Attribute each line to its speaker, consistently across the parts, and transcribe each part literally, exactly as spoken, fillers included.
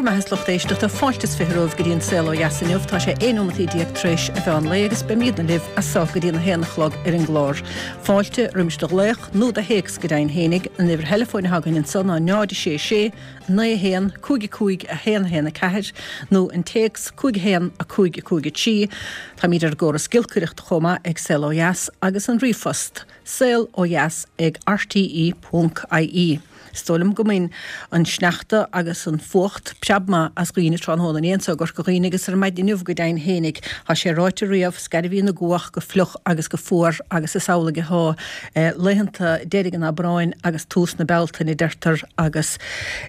Speaker 1: Mbeatha is lucht éisteachta, fáilte is fiche romhaibh go dtí an Saol Ó Dheas inniu. Tá sé aon nóimeataí déag tar éis a mheán lae agus beimidne libh as seo go dtí a haon a chlog ar an gclár. Fáilte roimis do ghlaoch nó do théacs go deimhin fhéinig, an uimhir theileafóin atá againn anso ná náid a sé sé, naoi a haon, cúig a cúig, a haon a haon a ceathair, nó an téacs cúig a haon, a cúig a cúig a trí. Táimid ar an gcóras giolcaireachta chomh maith ag Saol Ó Dheas agus an ríomhphost, saol ó dheas ag R T E ponc I E. Is dóigh liom go mbain an sneachta agus an fuacht preab maith as dhaoine tráthnóna inné anso i gCorca Dhuibhne agus ar maidin inniu go deimhin fhéinig. Tá sé ráite riamh, scairbhín na gcuach go fliuch agus go fuar agus is amhlaidh atá laethanta deiridh an Aibreáin agus tús na Bealtaine, deirtear, agus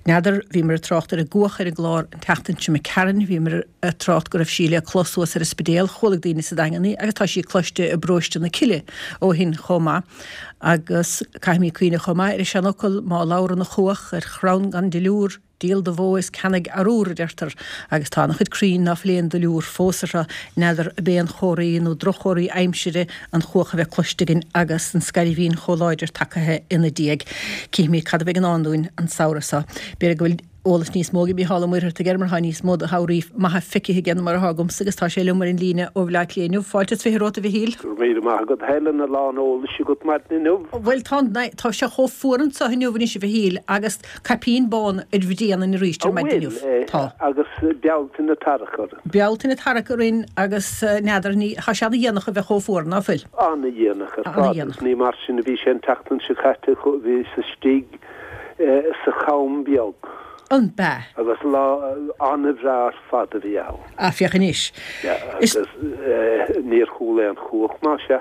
Speaker 1: n'fheadar, bhíomar ag trácht ar an gcuach ar an gclár an tseachtain seo imigh tharainn, bhíomar ag trácht go raibh sí le clos suas ar an Spidéal, chuala daoine sa Daingean í agus tá sí cloiste i bparóiste na Cille ó shin chomh maith. Agus caithfimid cuimhneamh chomh maith ar an seanfhocal, má labhrann an chuach ar chrann gan duilliúr, díol do bhó is ceannaigh arúr, a deirtear, agus tá an-chuid crainn ná fuil aon duilliúr fós orthu. N'fheadar ab é an chomhartha nó droch-chomhartha aimsire an chuach a bheith cloiste againn agus an scairbhín chomh láidir tagaithe ina diaidh. Cífimid cad a bheidh i ndán dúinn an samhradh seo. B'fhéidir go bhfuil eolas níos mó ag Mícheál Ó Muircheartaigh air mar tá níos mó de shamhraí maithe feicthe aige ná mar atá agamsa agus tá sé liom ar an líne ó Bhaile Átha Cliath inniu. Fáilte is fiche romhat, a Mhichíl.
Speaker 2: Go raibh míle maith agat, Helen, a lán eolais agat maidin inniu.
Speaker 1: Bhuel, tá, tá sé chomh fuar anseo inniu anois, a Mhichíl, agus caipín bán ar bhrian arís ar maidin inniu.
Speaker 2: Tá. Agus Bealtaine tarrac orainn.
Speaker 1: Bealtaine tarrac orainn agus n'fheadar, ní, tá sé ana-dhéanach a bheith chomh fuar, ná fuil?
Speaker 2: Ana-dhéanach ar fad. Ní mar sin a bhí sé an tseachtain seo caite, bhíos istigh sa Cham Beag.
Speaker 1: An b'ea?
Speaker 2: Agus lá an-bhreá ar fad a bhí ann.
Speaker 1: Ah, féach anois.
Speaker 2: Agus níor chuala aon chuach, más ea.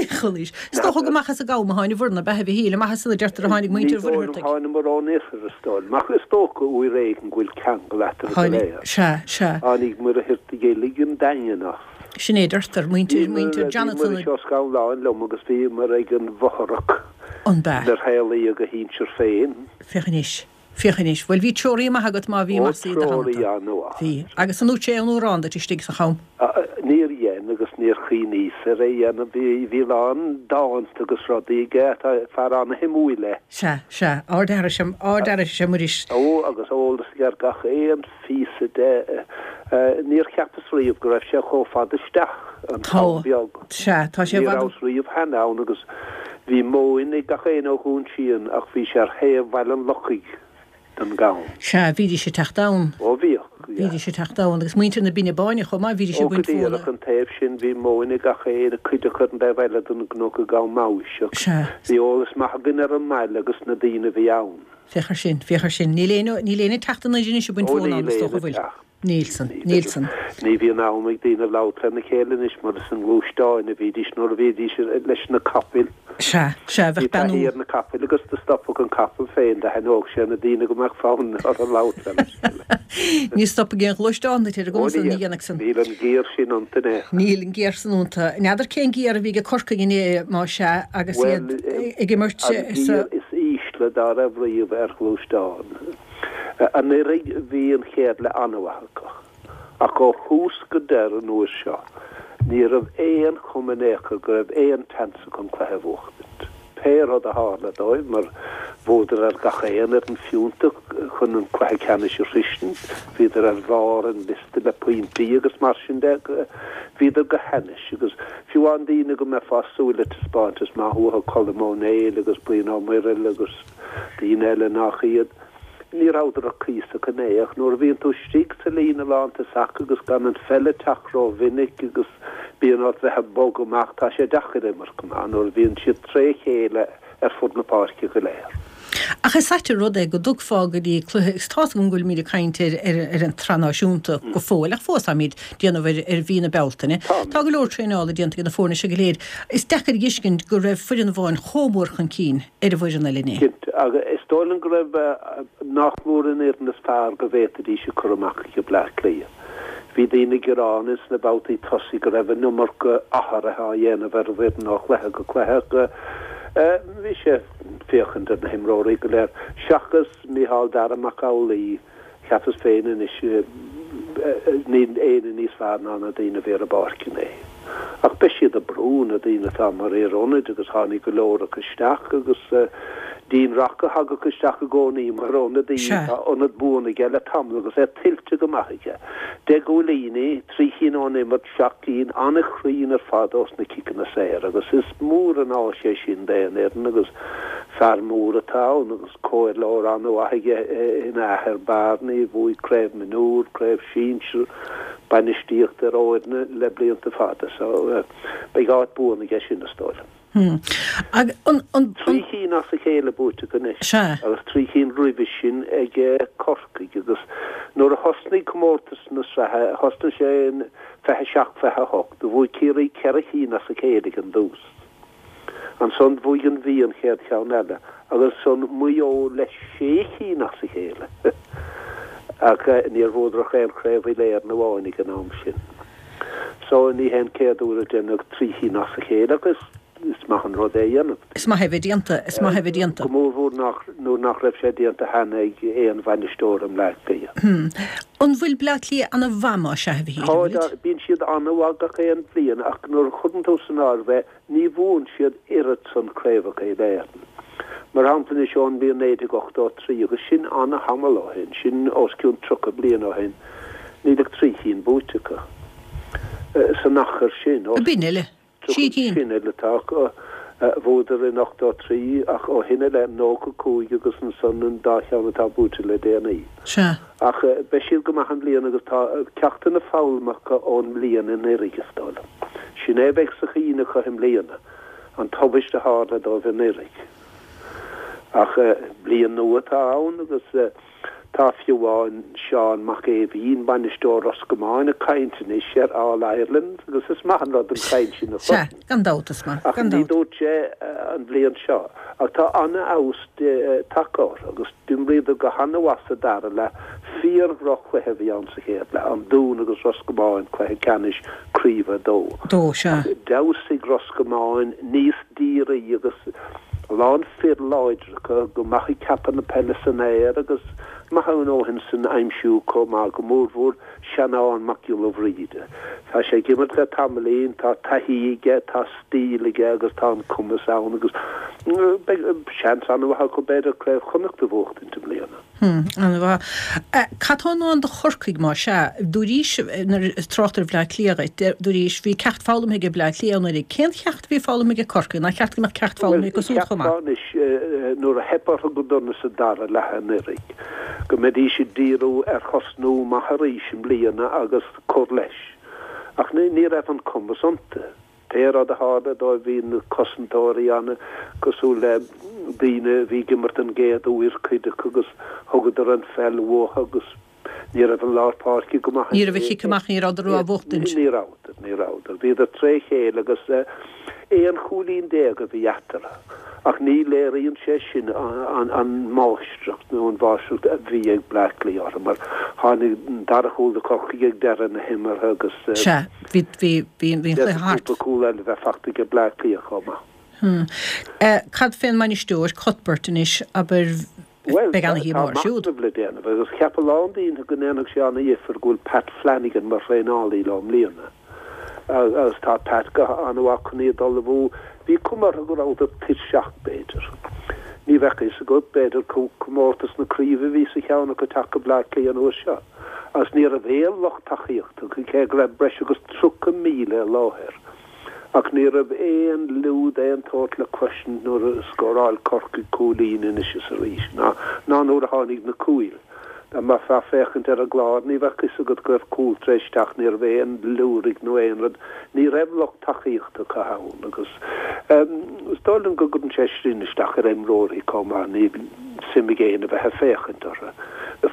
Speaker 1: Chualaís. Is dócha go amach as an gCam a tháinig na beatha Mhichíl, amach as an deirtear a tháinig muintir Mhuircheartaigh.
Speaker 2: Thánamar ón oirthear, is dóigh liom. Ach is dócha uair éigin go bhfuil ceangal eatarthu go léir.
Speaker 1: Sea, sea.
Speaker 2: Tháinig Muircheartaigh uilig an Daingean as.
Speaker 1: Sin é deirtear, muintir, muintir Jonathan.
Speaker 2: Bhí Muiris Ó Scanláin liom agus bhíomar ag an bhfothrach.
Speaker 1: An b'ea?
Speaker 2: Inar saolaíodh a shinsir féin.
Speaker 1: Féach anois. Féach anois. Bhuel, bhí treoraí maith agat má bhí mar sa
Speaker 2: do theannta. Treoraí an-mhaith.
Speaker 1: Bhí. Agus an ndúirt sé aon amhrán duit istigh sa cham?
Speaker 2: Níor dhein agus níor chuimhníos ar é a dhéanamh. Bhí, bhí a lán dánta agus rudaí aige. Tá fear an-shuimiúil é.
Speaker 1: Sea, sea. Ardfhear is ea, ardfhear is ea Muiris.
Speaker 2: Ó, agus eolas aige ar gach aon phíosa de. Níor cheapas riamh go raibh sé chomh fada isteach, an Cam Beag.
Speaker 1: Sea, tá sé i
Speaker 2: bhfad. Ní rabhas riamh cheana ann agus bhí móin ag gach éinne ó Dhún Síon ach bhí sé ar thaobh Bhaile an Lochaigh den gCam.
Speaker 1: Sea, bhídís ag teacht ann.
Speaker 2: Ó, bhíodh, yeah.
Speaker 1: Bhídís ag teacht ann agus muintir na Binne Báine chomh maith, bhídís ag
Speaker 2: Ó, go
Speaker 1: baint mhóna.
Speaker 2: díreach, an taobh sin, bhí móin ag gach éinne, cuid acu ar an dtaobh eile den gcnoc i gCam Maoiseach.
Speaker 1: Sea.
Speaker 2: Bhí eolas maith againn ar an mbaile agus na daoine a bhí ann.
Speaker 1: Féach ar sin, féach ar sin. Níl éinne, níl éinne ag teacht anois anois ag baint
Speaker 2: Ó,
Speaker 1: mhóna ann,
Speaker 2: níl
Speaker 1: is dócha,
Speaker 2: éinne ag
Speaker 1: bhfuil?
Speaker 2: teacht.
Speaker 1: Níl san, níl san.
Speaker 2: Ní bhíonn am ag daoine labhairt lena chéile anois mar is i ngluaisteáin a bhídís nuair a bhídís leis na capaill.
Speaker 1: Sea, sea, bheadh
Speaker 2: Bhí taithí
Speaker 1: bean
Speaker 2: ar na capaill agus do stopfadh an capall féin, d'aithneodh sé na daoine go mbeadh fonn orthu labhairt lena chéile.
Speaker 1: Ní stopfaidh aon ghluaisteán duit ar an
Speaker 2: Ó
Speaker 1: gcuma san, ní
Speaker 2: níl,
Speaker 1: dhéanfaidh san.
Speaker 2: níl an giar sin iontu in aon chor.
Speaker 1: Níl an giar san iontu. N'fheadar cén giar a bhí ag Corcaigh inné, má sea, agus
Speaker 2: Bhuel,
Speaker 1: iad ag imirt
Speaker 2: an
Speaker 1: sa.
Speaker 2: giar is ísle dá raibh riamh ar ghluaisteán. Anuraidh bhí an chéad leath an-mhaith acu, ach ó thús go deireadh an uair seo, ní raibh aon chuma in aon chor go raibh aon tseans acu an cluiche a bhuachtaint. Pé rud a tharla dóibh, mar bhuadar ar gach aon fhoireann fiúntach chun an cluiche ceannais a shroisint, bhíodar ar bharr an liosta le pointí agus mar sin de, bhíodar go hainnis agus fiú amháin daoine go mbeifeá ag súil le taispeántas maith uathu, Colm Ó Néill agus Brian Ó Muirthile agus daoine eile nach iad. Ní rabhadar ach cuíosach inné, ach nuair a bhíonn tú istigh sa líne lántosach agus gan an pheil ag teacht rómhinic agus bíonn ort bheith ag bogadh amach, tá sé deacair imirt go maith nuair a bhíonn siad tré chéile ar fud na páirce go léir.
Speaker 1: Ach is ait an rud é go dtugfá go dtí cluiche, agus tá's agam go bhfuilimid ag caint ar ar ar an tsraith náisiúnta go fóill, ach fós táimid ag déanamh ar ar mhí na Bealtaine. Tá go leor traenála déanta ag na foirne seo go léir. Is deacair a fheiscint go raibh foireann amháin chomh mór chun cinn ar an bhfoireann eile inné.
Speaker 2: Cinnte, agus is dóigh liom go raibh nach mór an fhoireann is fearr go bhféadfaidís a chur amach ag Bleá Cliath. Bhí daoine ag gearán ins na babhtaí tosaigh go raibh an iomarca athruithe á dhéanamh ar an bhfoireann ó chluiche go cluiche ach bhí sé ag féachaint ar na himreoirí go léir, seachas Micheál Dara Mac Amhlaigh. Cheapas féin anois, níl éinne níos fearr ná na daoine a bhí ar an bpáirc inné. Ach beidh siad ag brú, na daoine atá mar fhir ionaid agus tháinig go leor acu isteach agus Dean Rock a thagadh isteach i gcónaí mar ionadaí, tá ionad buan aige le tamall agus é tuillte go maith aige. Deich gcúilíní, trí chinn ón imirt, seacht gcinn an-chruinn ar fad ós na ciceanna saora agus is mór an áis é sin d'aon fhoireann agus fear mór atá ann agus comhairleoir an-mhaith aige ina athair Barney, a bhuaigh craobh mionúr, craobh sinsir, bainistíocht ar fhoirne le blianta fada so beidh áit buan aige sin is dóigh liom.
Speaker 1: Hmm. Ag, an, an,
Speaker 2: Trí chinn as a chéile buaite acu anois.
Speaker 1: Sea.
Speaker 2: Agus trí chinn roimhe sin ag Corcaigh agus nuair a thosnaigh comórtas na sraithe, thosnaigh sé in fiche seacht, fiche a hocht, do bhuaigh Ciarraí ceithre chinn as a chéile ag an dtús. Ansan bhuaigh an Mhí an chéad cheann eile agus ansan Maigh Eo le sé chinn as a chéile. Ach níor bhuadar ach aon chraobh Uile-Éireann amháin ag an am sin. So ní hé an chéad uair a deineadh trí chinn as a chéile agus is maith an rud é a dhéanamh.
Speaker 1: Is maith é bheith déanta, is maith é bheith déanta.
Speaker 2: Go mórmhór nach, nuair nach raibh sé déanta cheana ag aon bhainisteoir i mBleá Cliath.
Speaker 1: Hmm. An bhfuil Bleá Cliath ana-mhaith má sea, a Mhichíl,
Speaker 2: Tá,
Speaker 1: an bhfuilid?
Speaker 2: bíonn siad ana-mhaith gach aon bhliain ach nuair a chuireann tú san áireamh é, ní bhuann siad oiread san craobhacha Uile-Éireann. Mar shampla anois ón mbliain naoi déag ochtó a trí agus sin ana-thamall ó shin, sin os cionn tríocha bliain ó shin, níl ach trí chinn buaite acu san achar sin.
Speaker 1: B'in uile. Trí cinn.
Speaker 2: Sin uile atá acu. Bhuadar in ochtó a trí ach ó shin i leith nócha cúig agus ansan an dá cheann atá buaite le déanaí.
Speaker 1: Sea.
Speaker 2: Ach beidh siad go maith i mbliana agus tá ceachtanna foghlamtha acu ón mbliain anuraidh is dóigh liom. Sin é a bheidh sa chuimhne acu i mbliana, an tubaist a tharla dóibh anuraidh. Ach bliain nua atá ann agus tá fiú amháin Seán Mac Aoibhín, bainisteoir Ros Comáin, ag caint anois ar All Ireland agus is maith an rud an chaint sin a
Speaker 1: Sea, gan dabht is maith,
Speaker 2: Ach
Speaker 1: gan
Speaker 2: ní
Speaker 1: dabht.
Speaker 2: dúirt sé an bhliain seo. Ach tá an-fheabhas tagtha orthu agus d'imríodar go han-mhaith sa dara leath. Fíor-dhroch-chluiche a bhí ann sa chéad leath, an Dún agus Ros Comáin, cluiche ceannais craoibhe a dó.
Speaker 1: Dó, sea.
Speaker 2: Ach d'fheabhsaigh Ros Comáin níos dírí agus a lán fir láidre acu, go maith ag ceapadh na peile san aer agus maith a ndóthain san aimsiú chomh maith, go mórmhór Seanán Mac Giolla Bhríde. Tá sé ag imirt le tamaillín, tá taithí aige, tá stíl aige agus tá an cumas ann agus beidh seans an-mhaith acu b'fhéidir Craobh Chonnacht a bhuachtaint i mbliana.
Speaker 1: Hmm, an-mhaith. Cad tá i ndán do Chorcaigh má sea? Dúraís, nuair a trácht ar Bhleá Cliath dhuit, dúraís, bhí ceacht foghlamtha ag Bleá Cliath anuraidh. Cén cheacht a bhí foghlamtha ag Corcaigh? Nár cheart go mbeadh ceacht foghlamtha acu
Speaker 2: Bhuel,
Speaker 1: siúd chomh maith?
Speaker 2: cheapfá anois, nuair a theip orthu go dona sa dara leath anuraidh, go mbeidís ag díriú ar thosnú maith arís i mbliana agus cur leis. Ach ní, ní raibh an cumas iontu. Pé rud a tharla dóibh bhí na cosantóirí ana cosúil le daoine a bhí ag imirt an gcéad uair cuid acu agus thugadar an pheil uathu agus ní raibh an lár páirce go maith.
Speaker 1: Ní raibh a chic amach, ní rabhadar á bhuachtaint.
Speaker 2: Ní rabhadar, ní rabhadar. Bhíodar tré chéile agus aon chúilín déag a bhí eatarthu. Ach ní léiríonn sé sin an, an máistreacht nó an mháistreacht a bhí ag Bleá Cliath orthu mar tháinig an dara chúl do Chorcaigh ag deireadh na himeartha agus
Speaker 1: Sea, bhí, bhí, bhí, bhí an cluiche thart.
Speaker 2: cúpla cúl eile bheith fachta ag Bleá Cliath chomh maith.
Speaker 1: Hmm. Eh, cad fén mbainisteoir Cuthbert anois, abair,
Speaker 2: Bhuel,
Speaker 1: beidh
Speaker 2: tá
Speaker 1: ana-shuí
Speaker 2: tá
Speaker 1: mór siúd.
Speaker 2: machnamh le déanamh agus cheap a lán daoine go ndéanfadh sé ana-dhifear go bhfuil Pat Flanagan mar thraenálaí leo i mbliana. Agus tá Pat go han-mhaith chun iad a ullmhú. Bhí cuma orthu go rabhadar tuirseach b'fhéidir. Ní bheadh fhios agat, b'fhéidir comórtas na craoibhe a bhí sa cheann acu teacht go Bleá Cliath an uair seo. Agus ní raibh aon lucht tacaíochta acu, cé go raibh breis agus tríocha míle i láthair. Ach ní raibh aon liúd aon tsórt le cloisint nuair a scóráil Corcaigh cúilín anois is arís, ná ná nuair a tháinig na cúil. Dá mbeifeá ag féachaint ar an gclár, ní bheadh fhios agat go raibh cúl tar éis teacht, ní raibh aon liúraigh nó aon rud, ní raibh lucht tacaíochta acu ann agus is dóigh liom go gcuireann sé sin isteach ar imreoirí chomh maith, níl suim ag éinne a bheith ag féachaint orthu.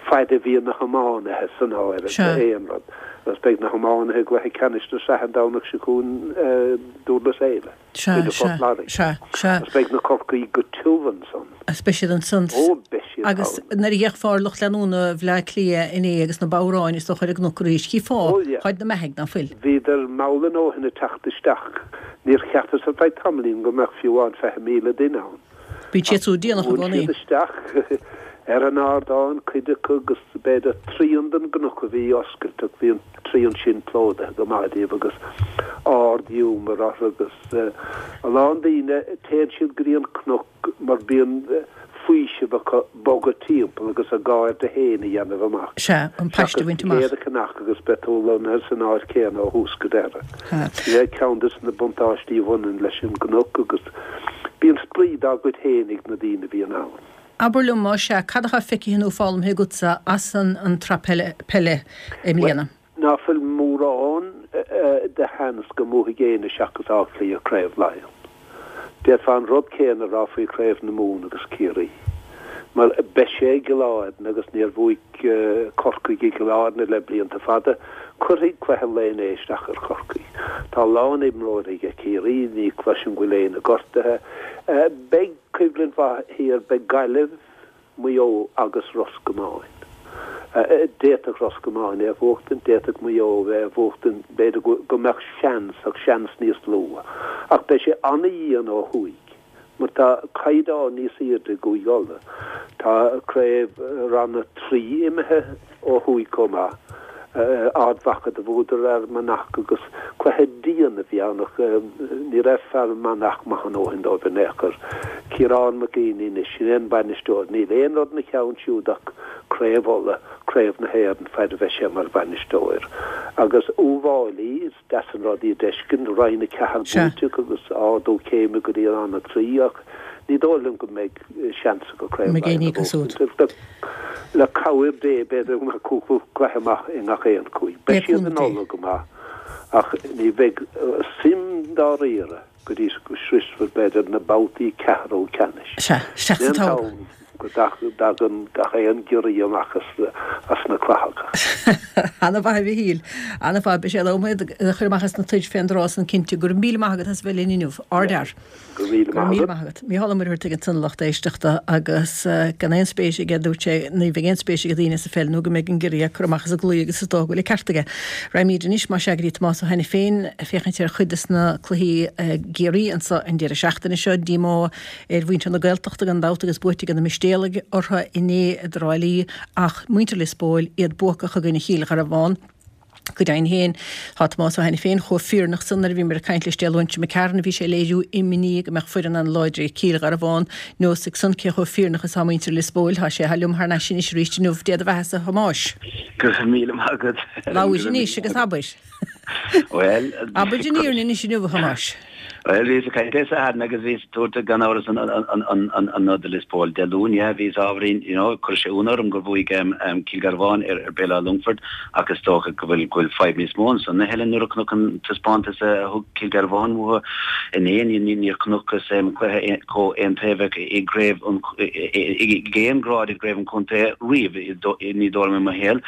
Speaker 2: Fad a bhíonn na hiománaithe san áireamh aon rud, agus beidh na hiománaithe i gcluiche ceannais na sraithe an Domhnach seo chugainn Dúrlas Éile,
Speaker 1: Sea,
Speaker 2: idir Phort
Speaker 1: sea,
Speaker 2: Láirge.
Speaker 1: sea, sea.
Speaker 2: Agus beidh na Corcaígh go tiubh ansan.
Speaker 1: Agus beidh siad ansan.
Speaker 2: Ó, beidh siad
Speaker 1: Agus
Speaker 2: ann.
Speaker 1: nuair a fhéachfá ar lucht leanúna Bhleá Cliath inné agus na bodhráin is dócha ar an gcnoc arís, chífeá
Speaker 2: Ó, yeah.
Speaker 1: táid na mbeathaigh ná fuil.
Speaker 2: Bhíodar mall a ndóthain ag teacht isteach. Níor cheapas ar feadh tamaillín go mbeadh fiú amháin fiche míle duine ann.
Speaker 1: Bíonn siad siúd déanach i
Speaker 2: Bhain
Speaker 1: gcónaí.
Speaker 2: siad isteach. Ar an ardán, cuid acu agus b'fhéidir trian den gcnoc a bhí oscailte ach bhí an trian sin plódaithe go maith díobh agus ard-ghiúmar orthu agus a lán daoine, téann siad go dtí an cnoc mar bíonn faoiseamh acu bogadh timpeall agus a gcairde féin a dhéanamh amach.
Speaker 1: Sea, an paiste a bhaint amach.
Speaker 2: Seachas téigh ar cnoc agus beidh tú lonnaithe san áit chéanna ó thús go deireadh. Sin é ceann de na buntáistí a bhaineann leis an gcnoc agus bíonn spraoi dá gcuid féin ag na daoine a bhíonn ann.
Speaker 1: Abair liom, más ea, cad atá feicthe nó foghlamtha agatsa as an tsraith peile i mbliana?
Speaker 2: Ná fuil mórán de sheans go mbuafaidh éinne seachas Áth Cliath Craobh Laighean. D'fhéadfá an rud céanna a rá faoi Chraobh na Mumhan agus Ciarraí. Mar beidh sé i gCill Airne agus níor bhuaigh Corcaigh i gCill Airne le blianta fada, cuirfidh cluiche an lae inné isteach ar Chorcaigh. Tá a lán imreoirí ag Ciarraí, ní chloisim go bhfuil éinne gortaithe. Beidh coimhlint mhaith thiar, beidh Gaillimh, Maigh Eo agus Ros Comáin. D'fhéadfadh Ros Comáin é a bhuachtaint, d'fhéadfadh Maigh Eo é a bhuachtaint, b'fhéidir go mbeadh seans, ach seans níos lú. Ach beidh sé an-dhian ó thuaidh, mar tá caighdeán níos airde i gCúige Uladh. Tá craobh Ranna trí imithe ó thuaidh chomh maith. Ard Mhacha do bhuadar ar Fhear Manach agus cluiche dian a bhí ann ach ní raibh Fear Manach maith a ndóthain dóibh in aon chor. Ciarán McGeeney anois, sin é an bainisteoir. Níl aon rud ina cheann siúd ach Craobh Uladh, Craobh na hÉireann faid a bheidh sé mar bhainisteoir. Agus Uíbh Fhailí, is deas an rud iad a fheiscint, Roinn a ceathair buaite acu agus ardú céime go dtí Rann a trí ach ní dóigh liom go mbeidh seans acu Craobh Laighean a bhuachaint. Le cabhair Dé, b'fhéidir go mbeidh cúpla cluiche maith i ngach aon chúige. Beidh siad in Uladh go maith, ach ní bheidh suim dáiríre go dtí go sroisfear, b'fhéidir, na babhtaí ceathrú ceannais.
Speaker 1: Sea, isteach sa
Speaker 2: Sin an
Speaker 1: tob.
Speaker 2: t-am go dtagann gach aon ghiorria amach as na clathacha.
Speaker 1: Ana-mhaith, a Mhichíl. Ana-mhaith. Beidh sé in am iad a chur amach as na toit fén dtráth san, cinnte. Go raibh míle maith agat as a bheith linn inniu. Ardfhear.
Speaker 2: Go raibh míle
Speaker 1: Go raibh míle
Speaker 2: maith agat.
Speaker 1: maith agat. Mícheál Ó Muircheartaigh ansan a lucht éisteachta agus gan aon spéis aige, dúirt sé, ní bheidh aon spéis ag daoine sa pheil nó go mbeidh an giorria ag cur amach as an gclaí agus is dócha go bhfuil an ceart aige. Raghaimid anois, más ea, go dtí Tomás Ó hAiniféin ag féachaint ar chuid des na cluichí i gCiarraí anso an deireadh seachtaine seo. Díomá ar mhuintir na Gaeltachta gan dabht agus buaite ag na Mistéalaigh orthu inné i dTrá Lí ach muintir Lios Póil, iad buacach i gcoinne Chill Gharbháin. Go deimhin féin, tá Tomás Ó hAiniféin chomh fírinneach san nuair a bhíomar ag caint leis Dé Luain seo imigh tharainn, bhí sé ag léiriú imní go mbeadh foireann an-láidir ag Cill Gharbháin. Neosfaidh san cé chomh fírinneach is atá muintir Lios Póil. Tá sé liom thar n-ais anois arís inniu. Dé do bheatha-sa, a Thomáis.
Speaker 3: Go raibh míle maith agat.
Speaker 1: Labhair anois agus abair.
Speaker 3: Bhuel,
Speaker 1: Abair an fhírinne anois inniu, a Thomáis.
Speaker 3: Bhuel, bhíos ag caint le Satharn agus bhíos ag tabhairt gan amhras an nod do Lios Póil. Dé Luain, yeah, bhíos ábhairín, you know, chuir sé ionadh orm gur bhuaigh Cill Gharbháin ar Béal Átha Longfoirt ach is dócha go bhfuil go bhfuil fadhb níos mó ansan a Helen nuair a chonac an taispeántas a thug Cill Gharbháin uathu inné, níor chonacthas cluiche chomh aontaobhach i gcraobh an ag aon ghrád i gcraobh an chontae riamh, ní dóigh liom i mo shaol.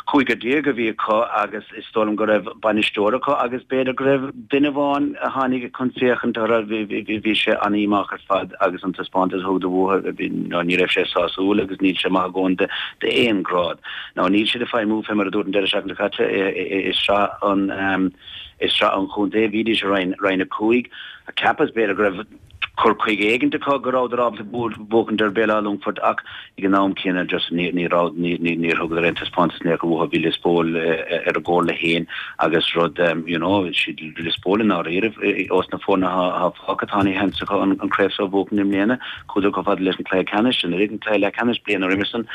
Speaker 3: Cúigear déag a bhí acu agus is dóigh liom go raibh bainisteoir acu agus b'fhéidir go raibh duine amháin a tháinig chun féachaint orthu, bhí sé an-dhíomách ar fad agus an taispeántas a thugadar uathu, ní raibh sé sásúil agus níl sé maith a dhóthain d'aon ghrád. Now níl siad ag feidhmiú fé mar a dúirt an deireadh seachtaine seo caite i sraith an i sraith an chontae, bhídís i roinn roinn a cúig. Cheapas b'fhéidir go raibh cur chuige éigint acu go rabhadar ábalta buachaint ar Bhéal Átha Longfoirt ach ag an am céanna just ní ní raibh ní ní níor thugadar aon taispeántas in aon chor uathu. Bhí Lios Póil ar a gcomhairle féin agus rud you know siad Lios Póil i ndáiríre ós na foirne atá fágtha tá an-sheans acu an craobh seo a bhuachan i mbliana. Chuadar chomh fada leis an cluiche ceannais anuraidh an cluiche leathcheannais bliain roimhe san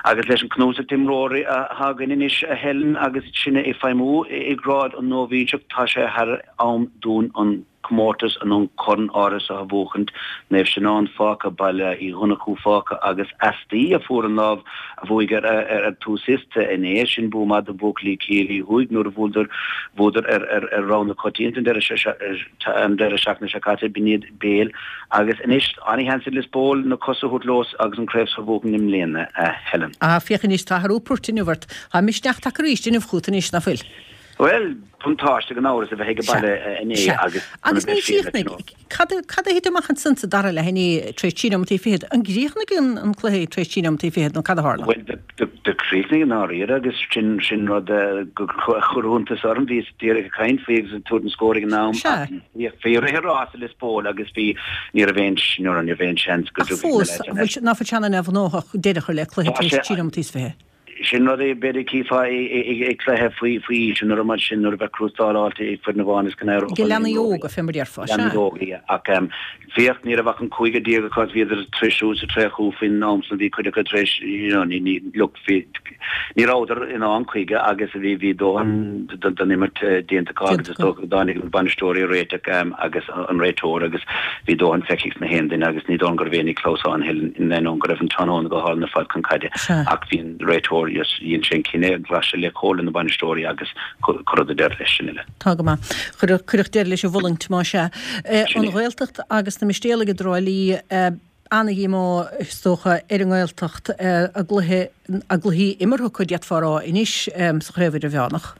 Speaker 3: agus leis an cnuasach d'imreoirí atá againn anois a Helen agus sinne ag feidhmiú i grád an nóibhíseach tá sé thar am dúinn an comórtas an an corn áirithe seo a bhuachaint, Naomh Seanán fágtha, Baile Uí Dhonnchú fágtha agus Easdaí a fuair an lámh a bhuaigh ar ar tús iosta inné. Sin bua maith do bhuachaillí Chiarraí Thuaidh nuair a bhualadar bhuadar ar ar ar rogha na coitianta an deireadh an deireadh seachtaine seo caite, b'in iad Béal agus anois an-sheans ag Lios Póil na cosa a thabhairt leo agus an craobh seo a bhuachan i mbliana, a Helen.
Speaker 1: Ah, féach anois, tá athrú poirt inniu ort. Tá misneach tagtha arís inniu chugat anois, ná fuil?
Speaker 3: Bhuel, buntáiste gan amhras a bheith ag baile inné
Speaker 1: agus Agus ní chríochnaigh, cad cad a thit amach ansan sa dara leath inné tar éis trí nóimeataí fichead? An gcríochnaigh an an cluiche tar éis trí nóimeataí fichead nó cad a tharla?
Speaker 3: Bhuel, do do chríochnaigh i ndáiríre agus sin sin rud go chuir iontas orm, bhíos díreach ag caint faoi agus ag tabhairt an scór ag an am
Speaker 1: Sea.
Speaker 3: ach bhí rith an rása Lios Póil agus bhí ní raibh aon ní raibh aon seans go
Speaker 1: Ach fós, an bhfuil ná fuil sé an-neamhghnóthach deireadh a chur le cluiche
Speaker 3: Tá
Speaker 1: tar éis
Speaker 3: sé
Speaker 1: trí nóimeataí is fiche?
Speaker 3: Sin rud é b'fhéidir chífeá i gcluiche faoi aois nó rud mar sin nuair a bheadh crústá fáilte ag foireann amháin is go n-éireodh
Speaker 1: Ag
Speaker 3: an
Speaker 1: leanaí
Speaker 3: imreoirí.
Speaker 1: óga, fé mar a déarfá, sea.
Speaker 3: Leanaí óga, yeah. Ach féach, ní raibh ach an cúigear déag acu agus bhíodar tar éis siúl sa traochadh faoin am san, bhí cuid acu tar éis, you know, ní, ní, look, bhí, ní rabhadar in ann chuige agus bhí, bhí dóthain den imirt déanta acu agus
Speaker 1: Déanta
Speaker 3: is
Speaker 1: acu.
Speaker 3: dócha go dtáinig na bainisteoirí a réiteach agus an réiteoir agus bhí dóthain feicthe ag na haon duine agus ní dóigh liom go raibh éinne clamhsán in ainneoin go raibh an tráthnóna go hálainn ar fad chun caide
Speaker 1: Sea.
Speaker 3: ach bhí an réiteoir yes dhein sé an cinneadh, ghlac sé le comhairle na bainisteoirí agus cuireadh deireadh leis sin uile.
Speaker 1: Tá go maith. Cuireadh cuireadh deireadh leis an bhfulaingt, más ea.
Speaker 3: Sin
Speaker 1: An
Speaker 3: é.
Speaker 1: Ghaeltacht agus na Mistéalaigh i dTrá Lí, ana-dhíomá is dócha ar an nGaeltacht, a gcluiche, a gcluichí imeartha acu d'fhéadfá a rá anois sa Chraobh Idirmheánach.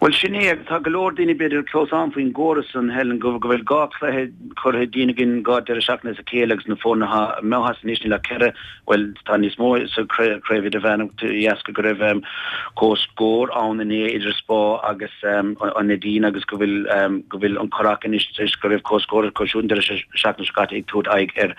Speaker 3: Bhuel, sin é, agus tá go leor daoine b'fhéidir ag clamhsán faoin gcóras san, Helen, go bhfuil dhá chluiche curtha dínn againn dhá deireadh seachtaine as a chéile agus na foirne atá imithe as anois, níl ach ceithre, bhuel, tá níos mó sa chraobh idirmheánach de dheasca go raibh comhscór ann inné idir Spa agus an Neidín agus go bhfuil go bhfuil an Currach anois tar éis go raibh comhscór acu siúd an deireadh seachtaine seo caite ag tabhairt aghaidh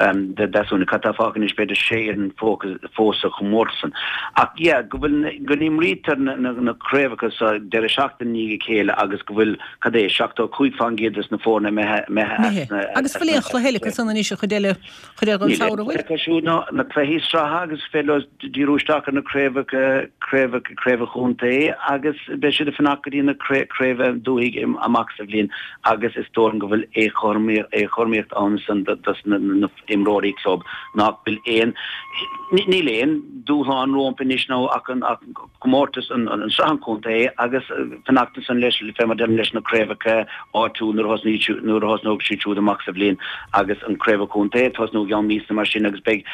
Speaker 3: ar Deasún. Cad tá fágtha anois? B'fhéidir sé fhoireann fós sa chomórtas san. Ach yeah, go bhfuil, go n-imrítear na craobhacha sa deireadh seachtaine i ndiaidh a chéile agus go bhfuil, cad é, seachtó cúig faoin gcéad des na foirne imithe, imithe as
Speaker 1: Imithe.
Speaker 3: na,
Speaker 1: Agus
Speaker 3: as
Speaker 1: fuil
Speaker 3: na,
Speaker 1: aon chluiche eile acu san anois, an chuid eile, chuid eile den
Speaker 3: Níl aon
Speaker 1: samhradh,
Speaker 3: chluiche
Speaker 1: bhfuil?
Speaker 3: acu siúd ná na cluichí sraithe agus féidir leo díriú isteach ar na craobhacha, craobhacha, craobh an chontae agus beidh siad ag fanacht go dtí na craobh dúthaigh amach sa bhliain agus is dóigh liom go bhfuil éagothromaíocht ann san dos na imreoirí club nach bhfuil aon, níl aon dúshlán rompu anois nó ach an comórtas an sraith an chontae agus fanacht ansan leis, fé mar deirim, leis na craobhacha áitiúil nuair a thosnaíonn, nuair a thosnóidh siad siúd amach sa bhliain agus an craobh an chontae ag tosnú i gceann míosa mar sin agus beidh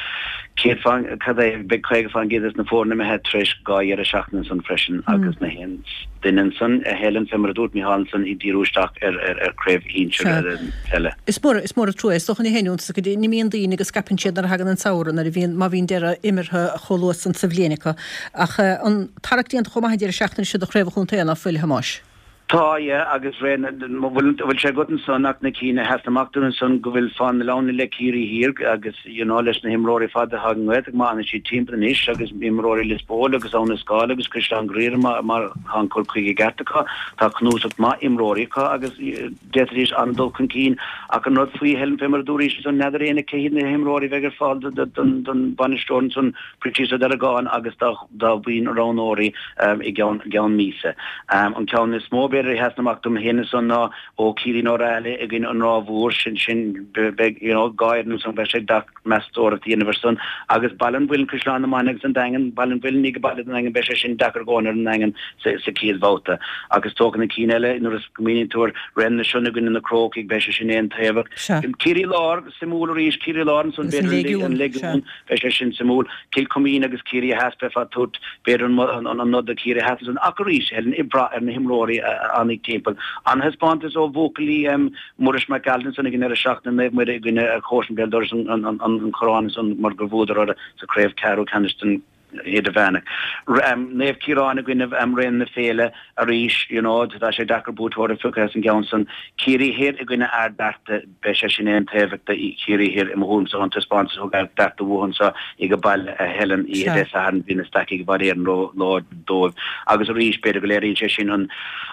Speaker 3: céad faoin, cad é, beidh caoga faoin gcéad des na foirne imithe tar éis dhá dheireadh seachtaine ansan freisin agus na haon duine ansan, a Helen, fé mar a dúirt Micheál ansan, ag díriú isteach ar ar chraobh shinsir peile.
Speaker 1: Is mór, is mór an trua é. Is dócha ní haon iontas go n-imíonn daoine go scaipeann siad nuair a thagann an samhradh, nuair a bhíonn, má bhíonn deireadh imeartha chomh luath san sa bhliain acu. Ach an tarrac déanta chomh maith an deireadh seachtaine seo do chraobh an chontae, ná fuil, a Thomáis?
Speaker 3: Tá, yeah, agus ré na, bhfuil, bhfuil sé agat ansan ach na cinn a sheasann amach dúinn ansan go bhfuil Fáil na Leamhna le Ciarraí Thiar agus, you know, leis na himreoirí fada atá ag an nGaeltacht má fhanann siad timpeall anois agus imreoirí Lios Póil agus Abha na Scáil agus Caisleán Ghriaire má, má tá an cur chuige ceart acu, tá cnuasach maith imreoirí acu agus d'fhéadfaidís an-dul chun cinn ach an rud faoi Helen fé mar a dúraís ansan n'fheadar éinne cé hiad na himreoirí a bheidh ar fáil don, don bhainisteoir ansan Proinsias Ó Deargáin agus dá dá bhuíon roghnóirí i gceann gceann míosa. An ceann is mó b'fhéidir a sheasann amach dom féin ansan ná Ó Ciaraín Ó Raghallaigh i gcoinne an Ráth Mhór, sin sin beidh you know dhá fhoireann ansan beidh sé deacair meastóireacht a dhéanamh ar san agus Baile an Mhuilinn, Caisleán na Mainge agus an Daingean, Baile an Mhuilinn ag baile don Daingean beidh sé sin deacair go ar an nDaingean sa sa chéad bhabhta. Agus is dócha na cinn eile nuair a smaoiníonn tú ar Raon na Sionna i gcoinne na Crócaigh beidh sé sin aontaobhach.
Speaker 1: Sea.
Speaker 3: Ciarraí Láir, suimiúil arís, Ciarraí Láir ansan
Speaker 1: Agus an
Speaker 3: b'fhéidir an
Speaker 1: Léigiún, sea.
Speaker 3: Léigiún, Beidh sé sin suimiúil. Cill Chuimín agus Ciarraí Theas, beifeá ag tabhairt, b'fhéidir, an nod do Chiarraí Theas ansan. Ach arís, Helen, ag brath ar na himreoirí a fhanfaidh timpeall. An-thaispeántas ó bhuachaillí Muiris Mac Gearailt ansan ag an ndeireadh seachtaine, Naomh Muire i gcoinne chomharsan béal dorais an Chorráin ansan mar gur bhuadar orthu sa chraobh ceathrú ceannais den Idirmheánach. Naomh Ciaráin i gcoinne Raon na Féile arís, you know, tá sé deacair buaiteoir a phiocadh as an gceann san. Ciarraí Thoir i gcoinne Ard Fhearta, beidh sé sin aontaobhach do Chiarraí Thoir i mo thuairimse ón taispeántas a thug Ard Fhearta uathu anso age baile a Helen oíche Dé Sathairn, bhí na Stacaigh i bhfad Éireann ró-láidir dóibh. Agus arís, b'fhéidir go léiríonn sé sin an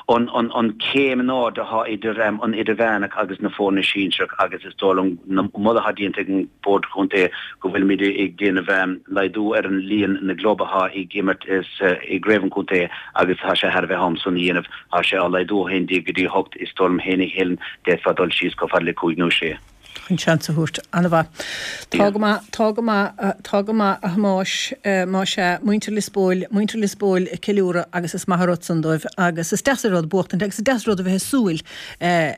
Speaker 3: an an an chéim in airde atá idir an Idirmheánach agus na foirne sinsearach agus is dóigh liom na moladh atá déanta ag an Bord Contae go bhfuilimid ag déanamh laghdú ar an líon na gclub atá ag imirt i gcraobh an chontae agus tá sé thar a bheith am san a dhéanamh. Tá sé á laghdú ó haon déag go dtí hocht. Is dóigh liom féin a Helen, d'fhéadfá dul síos chomh fada le cúig nó sé.
Speaker 1: Chun seans a thabhairt. An-mhaith. Tá go maith, tá go maith, tá go maith a Thomáis, más ea, muintir Lios Póil, muintir Lios Póil ag ceiliúradh agus is maith an rud san dóibh agus is deas an rud buachtaint agus is deas an rud a bheith ag súil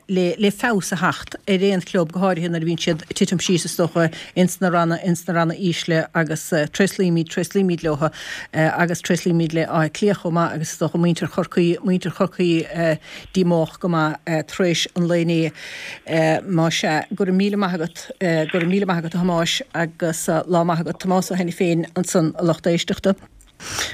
Speaker 1: le, le feabhas a theacht ar aon chlub go háirithe nuair a bhíonn siad ag titim síos is dócha ins na ranna, ins na ranna ísle agus tréaslaímid, tréaslaímid leo agus tréaslaímid le Áth Cliath chomh maith agus is dócha muintir Chorcaí, muintir Chorcaí díomách go maith tar éis an lae inné. Más ea, go raibh míle maith agat, go raibh míle maith agat a Thomáis agus lá maith agat. Tomás Ó hAiniféin ansan a lucht éisteachta.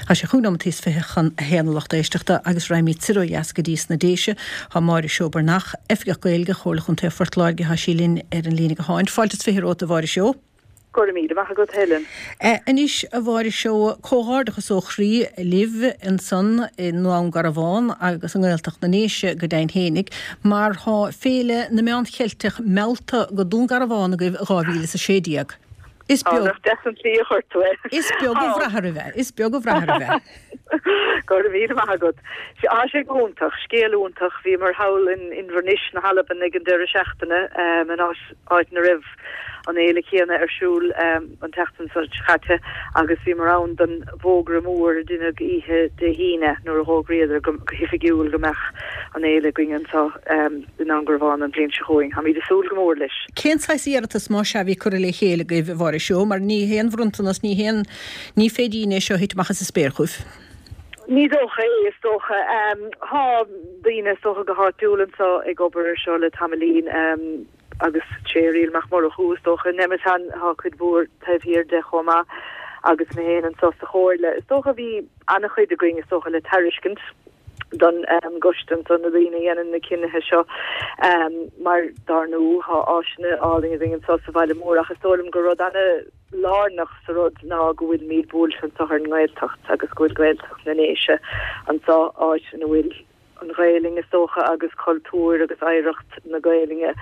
Speaker 1: Tá sé chúig nóimeataí is fiche chun a haon a lucht éisteachta agus raghaimid soir ó dheas go dtí sna Déise. Tá Máire Seó Breathnach, Oifigeach Gaeilge Chomhairle Chontae Phort Láirge, tá sí linn ar an líne gutháin. Fáilte is fiche romhat a Mháire Seó.
Speaker 4: Go raibh míle maith agat, Helen.
Speaker 1: Anois, a Mháire Seó, comhghairdeachas ó chroí libh ansan i nDún Garbhán agus i nGaeltacht na nDéise go deimhin fhéinig, mar thá Féile na Meán Cheilteach meallta go Dún Garbhán agaibh i dhá mhíle is a sé déag. Is
Speaker 4: beag. Nach deas an tslí a chuir tú é.
Speaker 1: Is beag a bhrath oraibh é. Is beag a bhrath oraibh é.
Speaker 4: Go raibh míle maith agat. Tá sé go hiontach, scéal iontach. Bhíomar thall in Inbhir Nis na hAlban ag an deireadh seachtaine, in áit ina raibh an fhéile chéanna ar siúl an tseachtain seo caite agus bhíomar ann don bhfógra mór a deineadh oíche Dé hAoine nuair a dh'fhógraíodar go hoifigiúil go mbeadh an fhéile againn anseo i nDún Garbhán an bhliain seo chugainn. Táimid ag súil go mór leis.
Speaker 1: Cén saghas iarratas más ea a bhí curtha le chéile agaibh, a Mháire Seó, mar ní haon bhronntanas, ní haon, ní féidín é seo a thit amach as an spéir chugaibh?
Speaker 4: Ní dócha é, is dócha. Tá daoine, is dócha, go háitiúil anseo ag obair ar seo le tamaillín. Agus sé Irial Mac Murchú, is dócha, in Nemeton, thá cuid mhór taobh thiar de chomh maith, agus mé féin anso sa Chomhairle. Is dócha bhí ana-chuid againn, is dócha, le tairiscint don gcoiste anso, na daoine a dhéanann na cinnithe seo, mar dár ndú, thá áiseanna álainn againn anso sa bhaile mór, ach is dóigh liom gur rud ana-lárnach sa rud ná go bhfuilimid buailte anso ar an nGaeltacht agus go bhfuil Gaeltacht na nDéise anso, áit ina bhfuil. an Ghaelainn, is dócha, agus cultúr agus oidhreacht na Gaelainne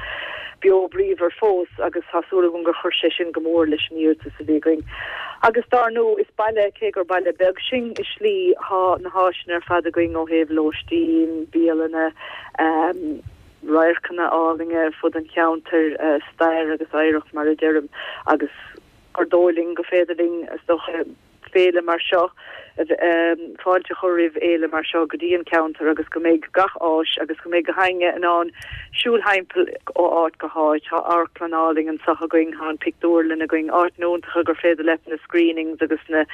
Speaker 4: beo bríomhar fós agus tá súil agam gur chuir sé sin go mór leis an iarratas a bhí againn. Agus dár ndú, is baile, cé gur baile beag sinn i slí, thá na háiseanna ar fad againn ó thaobh lóistín, bialanna, radharcanna álainne ar fud an cheantair, stair agus oidhreacht mar a deirim, agus gur dóigh linn go féidir linn, is dócha, féile mar seo, fáilte a chur roimh fhéile mar seo go dtí an ceantar agus go mbeidh gach áis agus go mbeidh gach éinne in ann siúl thimpeall ó áit go háit. Tá amharclann álainn anseo againn, tá an pictiúrlann againn, áiteanna iontacha gur féidir leat na screenings agus na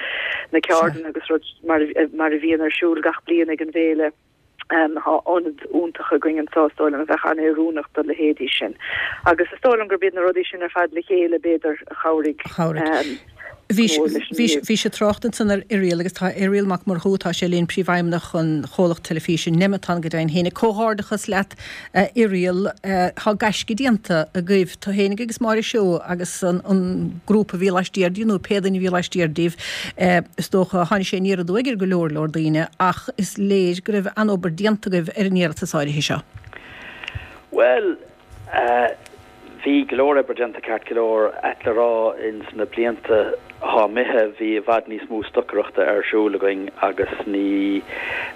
Speaker 4: na ceardlanna agus rud mar mar a bhíonn ar siúl gach bliain ag an bhféile. Tá ionad iontach againn anseo, is dóigh liom, a bheadh an-oiriúnach do leithéidí sin. Agus is dóigh liom gurb iad na rudaí sin ar fad le chéile, b'fhéidir, a chabhraigh
Speaker 1: go mór leis an iarratas. Bhís ag trácht ansan ar Irial agus tá Irial Mac Murchú, tá sé linn, Príomhfheidhmeannach an chomhlacht teilifíse Nemeton go deimhin féinig. Comhghairdeachas leat a Irial, tá gaisce déanta agaibh, tú féinig agus Máire Seó agus an grúpa a bhí laistiar díobh nó pé duine a bhí laistiar díobh, is dócha, tháinig sé aniar aduaidh ar go leor leor daoine ach is léir go raibh an-obair déanta agaibh ar an iarratas áirithe seo.
Speaker 3: Bhuel, bhí go leor oibre déanta ceart go leor, ait le rá, ins na blianta athá imithe bhí i bhfad níos mó stocaireachta ar siúl againn agus ní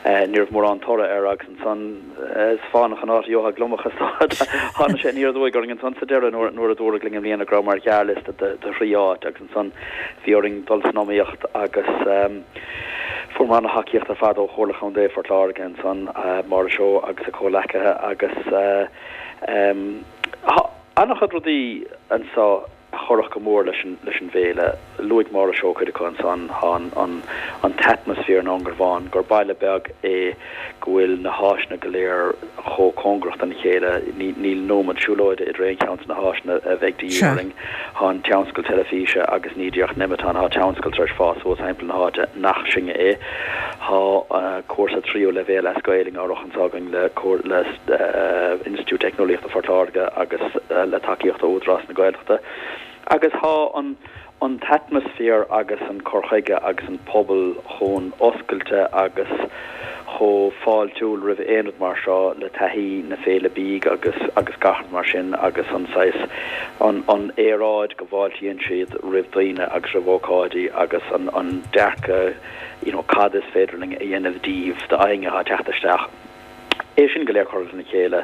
Speaker 3: ní raibh mórán toradh air agus ansan is fánach an áit a gheofá gliomach is dócha. Tháinig sé aniar aduaidh orainn ansan sa deireadh nuair nuair a dúradh linn i mbliana go rabhamar ar ghearrliosta de de thrí áit agus ansan bhí orainn dul san iomaíocht agus fuaireamar ana-thacaíocht ar fad ó Chomhairle Chontae Phort Láirge ansan, Máire Seó agus a comhleacaithe agus tá an-chuid rudaí anso a chuirfeadh go mór leis an leis an bhféile. Luaigh Máire Seó cuid acu ansan, tá an an t-atmaisféar i nDún Garbhán, gur baile beag é go bhfuil na háiseanna go léir chomh cóngarach dona chéile, níl nóiméad siúlóide idir aon cheann de na háiseanna a bheidh de dhíth orainn. Tá an tionscal teilifíse agus ní díreach Nemeton, tá tionscal tar éis fás suas thimpeall na háite nach sinne é. Tá cúrsa tríú leibhéal as Gaelainn á rith anseo againn le le Institiúid Teicneolaíochta Phort Láirge agus le tacaíocht ó Údarás na Gaeltachta agus tá an an t-atmaisféar agus an cur chuige agus an pobal chomh oscailte agus chomh fáiltiúil roimh aon rud mar seo le taithí na Féile Bídh agus agus gach rud mar sin agus an saghas an an aeráid go bhfáiltíonn siad roimh daoine agus roimh ócáidí agus an an dearcadh you know cad is féidir linn a dhéanamh díobh d'éinne atá ag teacht isteach. É sin go léir curtha lena chéile,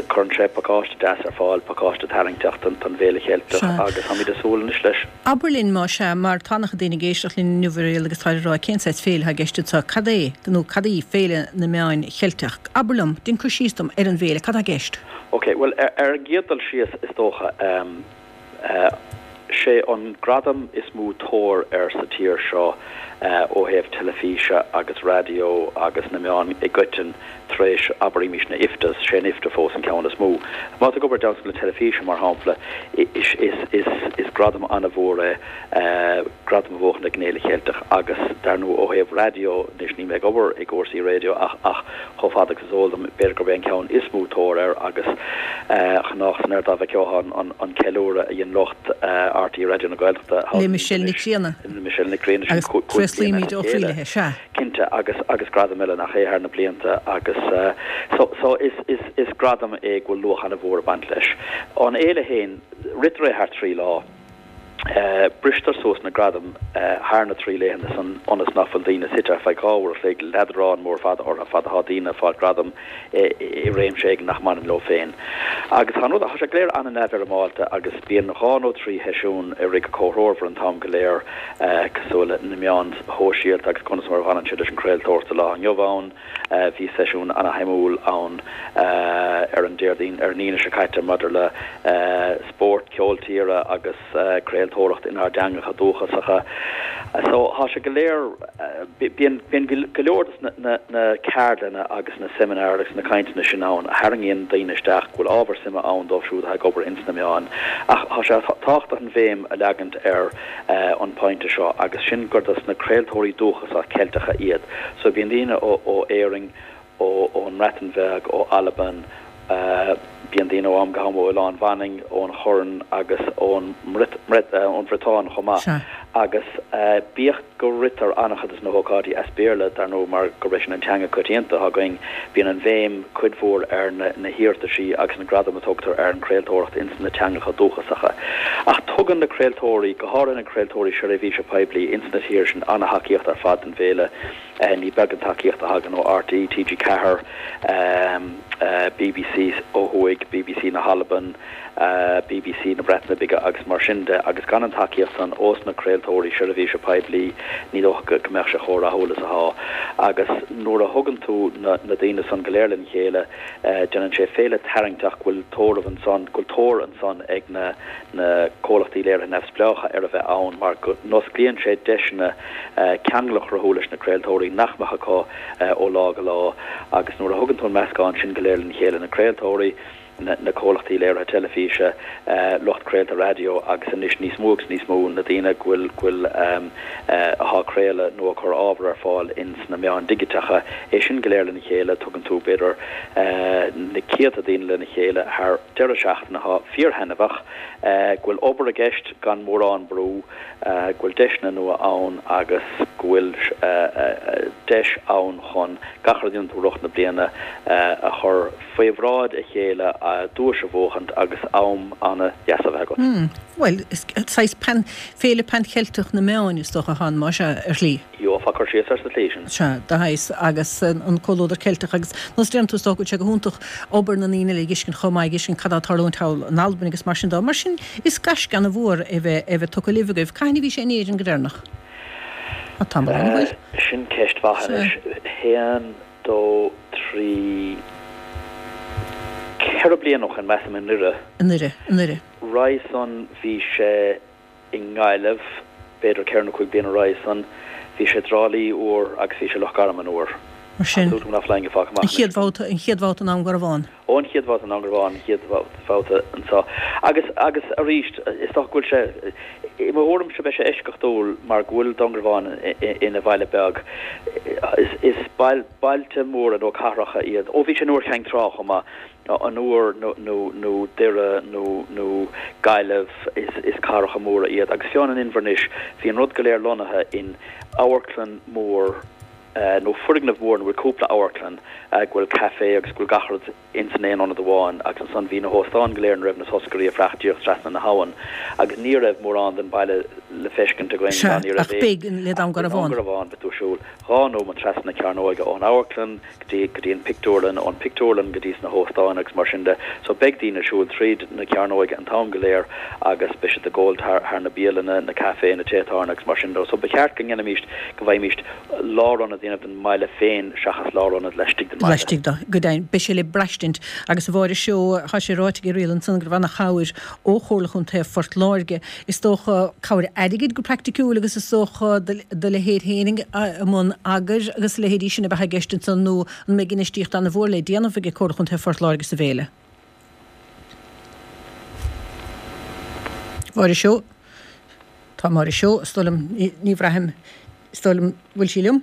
Speaker 3: cuireann sé pacáiste deas ar fáil, pacáiste tarraingteach don bhFéile Cheilteach agus táimid ag súil anois leis.
Speaker 1: Abair linn, más ea, mar tá an-chuid daoine ag éisteacht linn inniu a Mhuriel agus táid ag rá cén saghas féile atá i gceist anseo, cad é nó cad í Féile na Meán Cheilteach? Abair liom, déan cur síos dom ar an bhféile, cad tá i gceist?
Speaker 3: Ok, bhuel ar an gcéad dul síos is dócha, Sé an gradam is mó tóir air sa tír seo ó thaobh teilifíse agus raidió agus na meáin i gcoiteann tar éis, abraimis, na IFTAs, sé an IFTA fós an ceann is mó. Má tá tú ag obair le teilifíse, mar shampla, is gradam an-mhór é gradam a bhuachan ag an Fhéile Cheilteach agus, dar ndóigh, ó thaobh raidió, anois níl mé ag obair i gcúrsaí raidió ach ach chomh fada agus is eol dom, b'fhéidir gurb é an ceann is mó tóir air agus chonacthas san air dá bhfeiceofá an ceiliúradh a dhein lucht RTÉ Raidió na Gaeltachta
Speaker 1: Le Michelle Nic Grianna.
Speaker 3: Le Michelle Nic Grianna, sin
Speaker 1: Agus
Speaker 3: cúig bliana
Speaker 1: tréaslaímid
Speaker 3: as a
Speaker 1: ó
Speaker 3: chéile.
Speaker 1: chroí léi, sea.
Speaker 3: Cinnte, agus agus gradaim eile nach é thar na blianta agus so so is is is gradam é go bhfuil luach an-mhór ag baint leis. An fhéile féin, ritear é thar trí lá. Bristear suas na gradaim thar na trí laethanta san ionas nach bhfuil daoine suite ar feadh dhá uair a chloig le leadrán mór fada orthu fad atá daoine ag fáil gradam i réimse éigin nach mbaineann leo féin. Agus tá an rud, tá sé go léir an-neamhfhoirmeálta agus bíonn dhá nó trí sheisiún ag rith go comhthreomhar an t-am go léir cosúil le na meáin shóisialta agus conas mar a bhaineann siad leis an chraoltóireacht sa lá inniu ann. Bhí seisiún ana-shuimiúil ann ar an Déardaoin, ar an Aoine seo caite maidir le spórt, ceol tíre agus. craoltóireacht inár dteangacha dúchasacha. So tá sé go léir, bíonn bíonn go leor de na na ceardlanna agus na seimineáir agus na cainteanna sin ann a tharraingíonn daoine isteach, go bhfuil ábhar suime ann dóibh siúd atá ag obair ins na meáin. Ach tá sé tábhachtach an bhéim a leagaint ar an pointe seo agus sin gur dos na craoltóirí dúchasacha Ceilteacha iad. So bíonn daoine ó ó Éirinn, ó ón mBreatain Bheag, ó Albain, Bíonn daoine ó am go ham ó Oileán Mhanainn, ón Chorn agus ón mBriotáin chomh maith. Agus bíodh go ritear an-chuid de na hócáidí as Béarla, dar ndóigh, mar gurb é sin an teanga coitianta atá againn, bíonn an bhéim cuid mhór ar na hiarrataisí agus na gradaim a tugtar ar an chraoltóireacht ins na teangacha dúchasacha. Ach tugann na craoltóirí, go háirithe na craoltóirí seirbhíse poiblí ins na tíortha sin, an-thacaíocht ar fad don bhféile. Ní beag an tacaíocht a thagann ó RTÉ, TG Ceathair, BBC ó thuaidh, BBC na hAlban, BBC na Breataine Bige agus mar sin de agus gan an tacaíocht san ós na craoltóirí seirbhíse poiblí ní dócha go mbeadh sé chomh rathúil is atá. Agus nuair a thugann tú na daoine san go léir lena chéile déanann sé féile tarraingteach go bhfuil tórramh ansan, go bhfuil tóir ansan ag na na comhlachtaí léirithe neamhspleácha ar a bheith ann mar go n-osclaíonn sé deiseanna ceangal a chruthú leis na craoltóirí nach mbeadh acu ó lá go lá agus nuair a thugann tú an meascán sin go léir lena chéile, na craoltóirí, na comhlachtaí léirithe teilifíse, lucht craolta raidió agus anois níos mó agus níos mó na daoine go bhfuil, go bhfuil, atá ag craoladh nó ag cur ábhar ar fáil ins na meáin dhigiteacha, é sin go léir lena chéile, tugann tú b'fhéidir na céadta daoine lena chéile thar deireadh seachtaine atá fíorthaitneamhach, go bhfuil obair i gceist gan mórán brú, go bhfuil deiseanna nua ann agus go bhfuil deis ann chun gach rud a dhéanann tú i rith na bliana a chur faoi bhráid a chéile, duais a bhuachaint agus am ana-dheas a bheith agat.
Speaker 1: Bhuel, is saghas pan, féile pan-Cheilteach na meáin is dócha atá ann, más ea, ar shlí.
Speaker 3: Gheofá cur síos air sa tslí sin.
Speaker 1: Sea, de shaghas, agus an comhluadar Ceilteach agus nós a deireann tú is dócha go bhfuil sé go hiontach obair na ndaoine eile a fheiscint chomh maith, a fheiscint cad atá ag tarlúint thall in Albain agus mar sin de. Mar sin, is gaisce ana-mhór é bheith, é bheith tugtha libh agaibh. Cathain a bhí sé in Éirinn go deireanach? Tá tamall ann, an bhfuil?
Speaker 3: Sin ceist mhaith anois. Haon, dó, trí, ceithre bliana ó shin, measaim, i nDoire.
Speaker 1: I nDoire, i nDoire.
Speaker 3: Roimhe san bhí sé i nGaillimh, b'fhéidir ceithre nó cúig bliana roimhe san. Bhí sé i dTrá Lí uair agus bhí sé i Loch Garman uair.
Speaker 1: Mar sin,
Speaker 3: Tá súil agam nach bhfuil éinne fágtha amach
Speaker 1: an chéad bhabhta, an chéad bhabhta i nDún Garbhán.
Speaker 3: Ó, an chéad bhabhta i nDún Garbhán, an chéad bhabhta anseo. Agus, agus arís, is dócha go bhfuil sé, i mo thuairimse beidh sé eisceachtúil mar go bhfuil Dún Garbhán ina bhaile beag. Is, is bailte móra nó cathracha iad. Ó, bhí sé in Iúr Chinn Trá chomh maith. An Iúr nó, nó, nó Doire nó, nó Gaillimh, is, is cathracha móra iad. Agus fiú amháin in Inbhir Nis, bhí an rud go léir lonnaithe in amharclann mór,
Speaker 5: nó foirgneamh mór ina bhfuil cúpla amharclann, go bhfuil café agus go bhfuil gach rud ins an aon ionad amháin agus ansan bhí na hóstáin go léir ina raibh na toscairí ag fanacht díreach trasna na habhann agus ní raibh mórán den baile le feiscint againn
Speaker 1: Sea,
Speaker 5: ná ní raibh
Speaker 1: ach beidh le Dún
Speaker 5: ach le
Speaker 1: Garbhán.
Speaker 5: Dún Garbhán beidh tú ag siúl dhá nóiméad trasna na cearnóige ón amharclann go dtí go dtí an pictiúrlann, ón pictiúrlann go dtí sna hóstáin agus mar sin de. So beidh daoine ag siúl tríd na cearnóige an t-am go léir agus beidh siad ag gabháil thar thar na bialanna, na café, na téatáin agus mar sin de. So ba cheart go ndéanfaimíst, go bhfaighimíst lárionad a dhéanamh den mbaile féin seachas lárionad laistigh den mbaile.
Speaker 1: Laistigh de, go deimhin. Beidh sé le braistint agus a Mháire Seó, tá sé ráite ag Irial ansan go raibh ana-chabhair ó Chomhairle Chontae Phort Láirge. Is dócha cabhair airgid go praiticiúil agus is dócha do leithéid féinig i mbun eagair agus a leithéidí sin a bheadh i gceist ansan nó an mbeidh infheistíocht ana-mhór le déanamh ag Comhairle Chontae Phort Láirge sa bhféile? Máire Seó. Tá Máire Seó, is dóigh liom, ní bhraithim, is dóigh liom, bhfuil sí liom?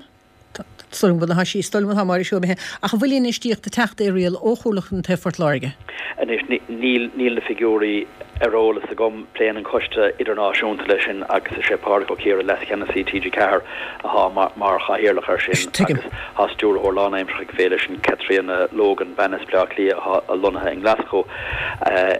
Speaker 1: Is dóigh liom go bhfuil, tá sí, is dóigh liom atá Máire Seó imithe. Ach an bhfuil infheistíocht ag teacht a Irial ó Chomhairle Chontae Phort Láirge?
Speaker 5: Anois, níl, níl na figiúirí ar eolas agam. Pléann an Coiste Idirnáisiúnta leis sin agus is é Pádraig Ó Ciardha, Leas-Cheannasaí T G ceathair, atá mar chathaoirleach air sin
Speaker 1: Tuigim.
Speaker 5: agus tá stiúrthóir lánaimseartha ag an bhféile sin, Caitríona Logan, bean as Bleá Cliath atá lonnaithe i nGlaschú.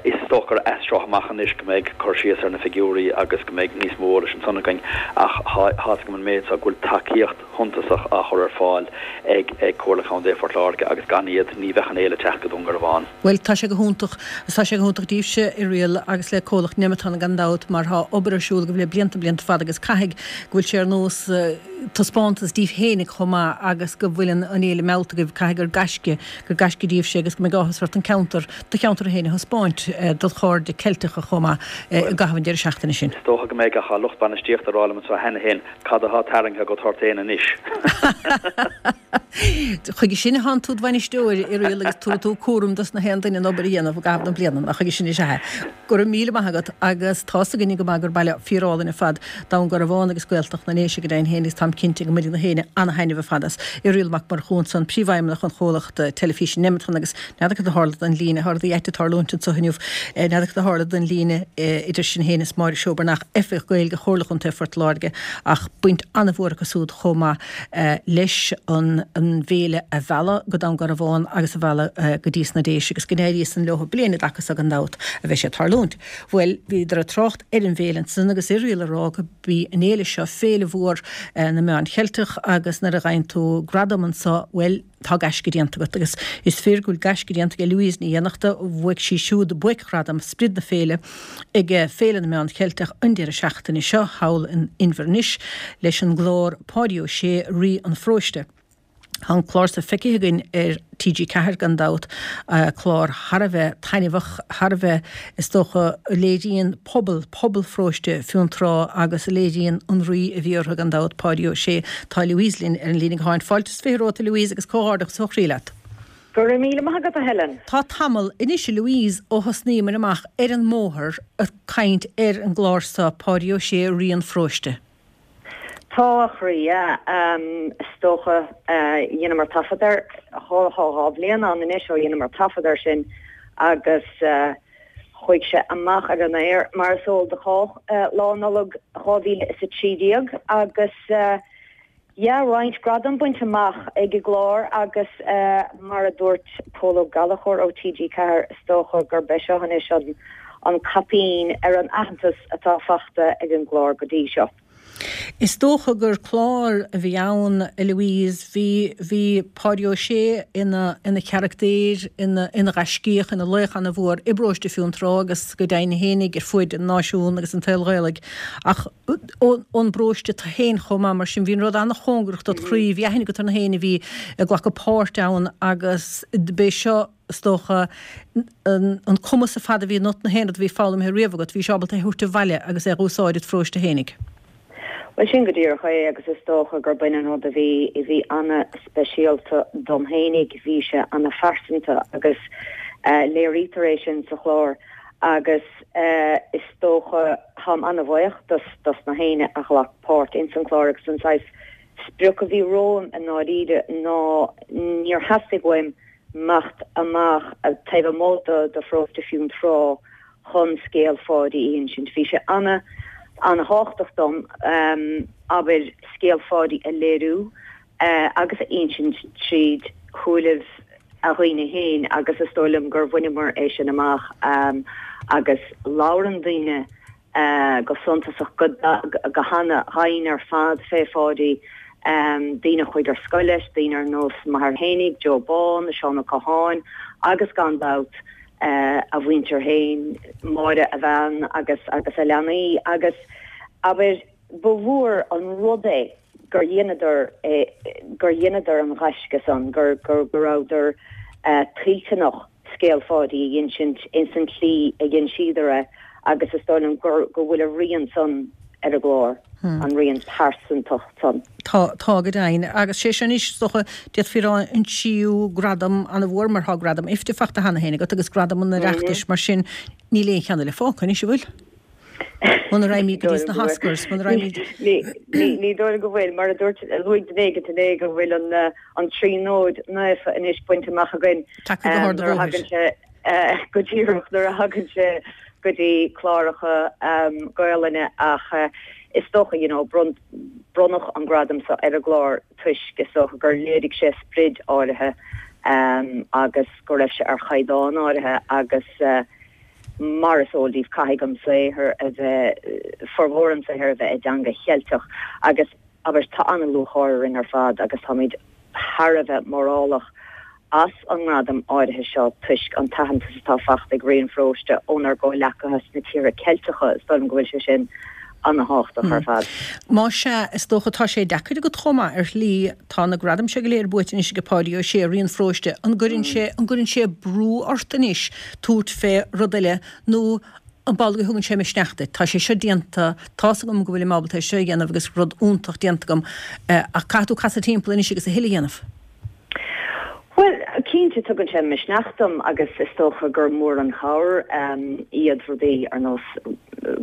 Speaker 5: Is dócha gur as seo amach anois go mbeidh cur síos ar na figiúirí agus go mbeidh níos mó eolais ansan againn ach tá fhios agam an méid seo go bhfuil tacaíocht shuntasach á chur ar fáil ag Comhairle Contae Phort Láirge agus gan iad ní bheadh an fhéile ag teacht go Dún Garbhán.
Speaker 1: Bhuel, tá sé go hiontach, agus tá sé go hiontach daoibhse, Irial, agus le comhlacht Nemeton gan dabht, mar tá obair ar siúl agaibh le blianta, blianta fada agus caithfidh go bhfuil sé ar nós taispeántas daoibh fhéinig chomh maith agus go bhfuil an fhéile meallta agaibh, caithfidh gur gaisce, gur gaisce daoibhse agus go mbeidh áthas ort an ceantar, do cheantar féin a thaispeáint dod chairde Ceilteacha chomh maith i gcaitheamh an deireadh seachtaine sin.
Speaker 5: Is dócha go mbeidh ach tá lucht bainistíochta ag rá liom anseo cheana féin cad atá tarraingthe go Gort Éan anois.
Speaker 1: Chuige sin atánn tú id bhainisteoir, Irial, agus tabharfaidh tú cúram dos na haon duine an obair a dhéanamh i gcaitheamh na bliana, nach chuige sin is ea é. Go raibh míle maith agat agus tá's againne go maith gur baile fíorálainn ar fad Dún Garbhán agus Gaeltacht na nDéise go deimhin féin agus táim cinnte go mbainfidh na héinne ana-thaitneamh ar fad as. Irial Mac Murchú ansan, Príomhfheidhmeannach an chomhlachta teilifíse Nemeton agus n'fheadar cad a tharla don líne, tá rudaí ait ag tarlúint anso inniu, n'fheadar cad a tharla don líne idir sinn féin is Máire Seó Breathnach, Oifigeach Gaeilge Chomhairle Chontae Phort Láirge ach baint an-mhór acu súd chomh maith leis an bhféile a mhealladh go Dún Garbhán agus a mhealladh go dtí sna Déise agus go n-éirí san leo bliain i dtaca so gan dabht a bheidh sé ag tarlúint. Bhuel, bhíodar ag trácht ar an bhféile ansan agus Irial ag rá go b'í an fhéile seo féile mhór na meán Cheilteach agus nuair a gheibheann tú gradam anso, bhuel, tá gaisce déanta agat agus is fíor go bhfuil gaisce déanta ag Louise Ní Fhiannachta, bhuaigh sí siúd buaicghradam sprid na féile ag Féile na Meán Cheilteach an deireadh seachtaine seo thall in Inbhir Nis leis an gclár Páidí Ó Sé, Rí an Pharóiste. Tá an clár so feicthe againn ar T G ceathair gan dabht, clár thar a bheith taitneamhach, thar a bheith, is dócha, a léiríonn pobal, pobal pharóiste Fionntrá agus a léiríonn an rí a bhí orthu gan dabht, Páidí Ó Sé. Tá Louise linn ar an líne gutháin. Fáilte is fiche romhat a Louise agus comhghairdeachas ó chroí leat.
Speaker 6: Go raibh míle maith agat a Helen.
Speaker 1: Tá tamall anois a Louise ó thosnaíomar amach ar an mbóthar ag caint ar an gclár so, Páidí Ó Sé, Rí an Pharóiste.
Speaker 6: Tá, a chroí, yeah. Is dócha, dheineamar taifead air, dhá, dhá bhliain ann anois ó dheineamar taifead air sin agus chuaigh sé amach ar an aer, mar is eol do chách, Lá Nollag dhá mhíle is a trí déag agus yeah, roinnt gradam bainte amach ag an gclár agus mar a dúirt Pól Ó Gallchóir ó T G ceathair, is dócha gurb é seo anois an an caipín ar an aitheantas atá fachta ag an gclár go dtí seo.
Speaker 1: Is dócha gur clár a bhí ann, a Louise, bhí, bhí Páidí Ó Sé ina, ina charachtar, ina, ina ghaiscíoch, ina laoch ana-mhór i bparóiste Fionntrá agus go deimhin fhéinig ar fuaid an náisiún agus an tsaoil Ghaelaigh ach ón, ón bparóiste tú féin chomh maith, mar sin bhí an rud ana-chóngarach dod chroí, bhí aithne agat ar na héinne a bhí ag glacadh páirt ann agus b'é seo, is dócha, an cumas ar fad a bhí ionat, na haon rud a bhí foghlamtha riamh agat, bhís ábalta é a thabhairt abhaile agus é a dh'úsáid id pharóiste fhéinig.
Speaker 6: Bhuel, sin go díreach é agus is dócha gur b'in an rud a bhí, a bhí ana-speisialta dom fhéinig, bhí sé ana-phearsanta agus léirítear é sin sa chlár agus is dócha, táim ana-bhuíoch dos, dos na héinne a ghlac páirt ins an chlár agus an saghas sprioc a bhí romham i ndáiríre ná níor theastaigh uaim imeacht amach taobh amuigh de pharóiste Fionntrá chun scéal Pháidí a insint. Bhí sé ana, ana-thábhachtach dom, abair, scéal Pháidí a léiriú agus a insint tríd shúilibh a dhaoine féin agus is dóigh liom gur bhaineamar é sin amach agus labhrann daoine go suntasach go hana-dhoimhin ar fad fé Pháidí, daoine a chuaigh ar scoil leis, daoine ar nós m'athair fhéinig, Joe Bán, Seán Ó Catháin agus gan dabht a mhuintir féin, Máire a bhean agus agus a leanaí agus abair ba mhór an rud é gur dheineadar é, gur dheineadar an ghaisce san, gur go rabhadar toilteanach scéal Pháidí a insint ins an tslí a dh'inseadar é agus is dóigh liom gur go bhfuil a rian san ar an gclár, an rian pearsantach san.
Speaker 1: Tá, tá go deimhin. Agus sé sin anois, is dócha, d'fhéadfaí a rá an tríú gradam an-mhór mar tá gradam IFTA faighte cheana féin agat agus gradam an Oireachtais, mar sin níl aon cheann eile fágtha anois, an bhfuil? Muna raghaimid go dtí sna hOscars, muna raghaimid.
Speaker 6: Ní dóigh liom go bhfuil, mar a dúirt, luaigh duine éigin inné go bhfuil an tríonóid naofa anois bainte amach againn.
Speaker 1: Tagtha go hard an bhóthair.
Speaker 6: Go díreach nuair a thagann sé go dtí cláracha Gaolainne ach is dócha you know bronnadh an gradam seo ar an gclár toisc is dócha gur léirigh sé sprid áirithe agus go raibh sé ar chaighdeán áirithe agus mar is eol daoibh, caithfidh an saothar a bheith, formhór an tsaothair a bheith i dteanga Cheilteach agus, abair, tá an-lúcháir orainn ar fad agus táimid thar a bheith mórálach as an ngradam áirithe seo toisc an t-aitheantas atá faighte ag Rian Pharóiste ónár gcomhghleacaithe sna tíortha Ceilteacha, is dóigh liom go bhfuil sé sin ana-thábhachtach ar fad.
Speaker 1: Más ea, is dócha tá sé deacair agat chomh maith ar shlí, tá na gradaim seo go léir buaite anois ag Páidí Ó Sé, Rian Pharóiste, an gcuireann sé, an gcuireann sé brú ort anois tabhairt fé rud eile nó an amhlaidh a thugann sé misneach duit? Tá sé seo déanta, tá's agam go bhfuilim ábalta é seo a dhéanamh agus rud iontach déanta agam ach caithfidh tú casadh timpeall anois agus a thuilleadh a dhéanamh.
Speaker 6: Bhuel, cinnte tugann sé misneach dom agus is dócha gur mór an chabhair iad rudaí ar nós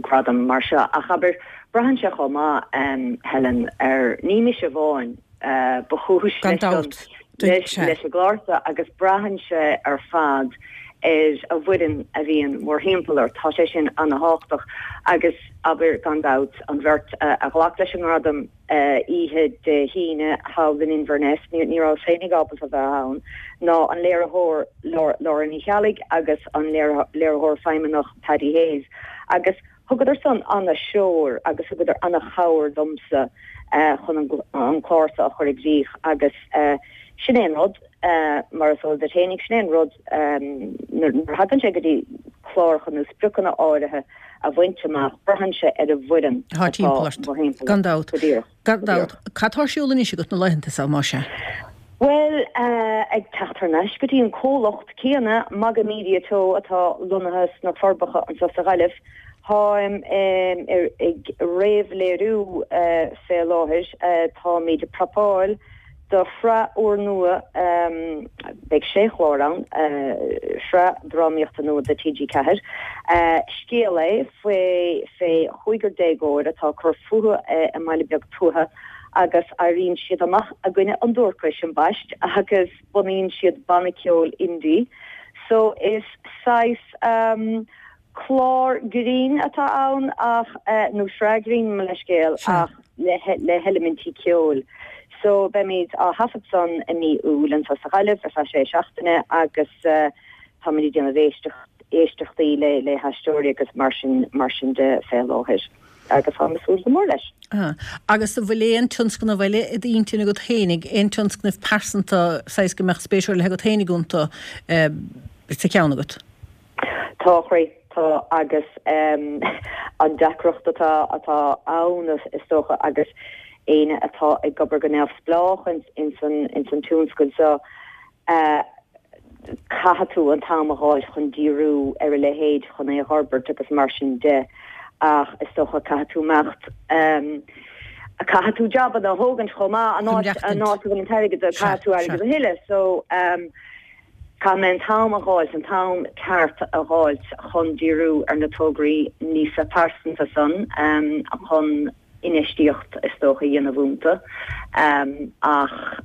Speaker 6: gradam mar seo ach abair, braitheann sé chomh maith, Helen, ar, ní mise amháin ba chúis
Speaker 1: Gan dabht,
Speaker 6: leis an gclár seo agus braitheann sé ar fad ar an bhfoireann a bhíonn mórthimpeall ort. Tá sé sin ana-thábhachtach agus abair, gan dabht, an bheirt a ghlac leis an ngradam, oíche Dé hAoine thall in Inverness, ní rabhas féinig ábalta bheith ann, ná an léiritheoir Laura Ní Cheallaigh agus an léiritheoir feidhmeannach Paddy Hayes agus thugadar san ana-threoir agus thugadar ana-chabhair domsa chun an clár seo a chur i gcrích agus sin é an rud, mar is eol duit féinig, sin é an rud nuair a thagann sé go dtí cláracha nó spriocanna áirithe, a bhaint amach, braitheann sé ar an bhfoireann
Speaker 1: atá timpeall ort. Gan dabht.
Speaker 6: Go díreach.
Speaker 1: Gan dabht. Cad tá ar siúl anois agat na laethanta seo, más ea?
Speaker 6: Bhuel, ag teacht thar n-ais go dtí an comhlacht céanna, Magamedia Teo, atá lonnaithe sna Forbacha anseo sa Ghaillimh, táim ag réamhléiriú fé láthair. Táimid ag prapáil do shraith úrnua, beidh sé chlár ann, sraith drámaíochta nua do T G ceathair. Scéal é faoi fé chúigear déagóir atá ag cur fúthu i mbaile beag tuaithe agus éiríonn siad amach i gcoinne an duaircis, ambaist, agus bunaíonn siad banna ceoil indie. So is saghas clár grinn atá ann ach, nó sraith grinn, mo leithscéal, ach le heilimintí ceoil. So beimid á thaifead san i mí Iúil anseo sa Ghaillimh ar feadh sé seachtaine agus táimid ag déanamh éisteachtaí le haisteoirí agus mar sin mar sin de fé láthair agus táim ag súil go mór leis.
Speaker 1: Agus an bhfuil aon tionscnamh eile i d'intinn agat fhéinig, aon tionscnamh pearsanta saghas go mbeadh spéis ar leith agat fhéinig iontu sa cheann agat?
Speaker 6: Tá, a chroí, tá agus an deacracht atá atá ann is dócha agus éinne atá ag obair go neamhspleách ins an ins an tionscal seo, caithfidh tú an t-am a dh'fháil chun díriú ar a leithéid chun é a dh'fhorbairt agus mar sin de ach is dócha caithfidh tú imeacht caithfidh tú jabanna a thógaint chomh maith an áit an áit a bhfuil an t-airgead caithfidh tú airgead a thuilleadh so Caithfidh mé an t-am a dh'fháilt, an t-am ceart a dh'fháilt chun díriú ar na tograí níosa pearsanta san, chun infheistíocht is dócha a dhéanamh iontu. Ach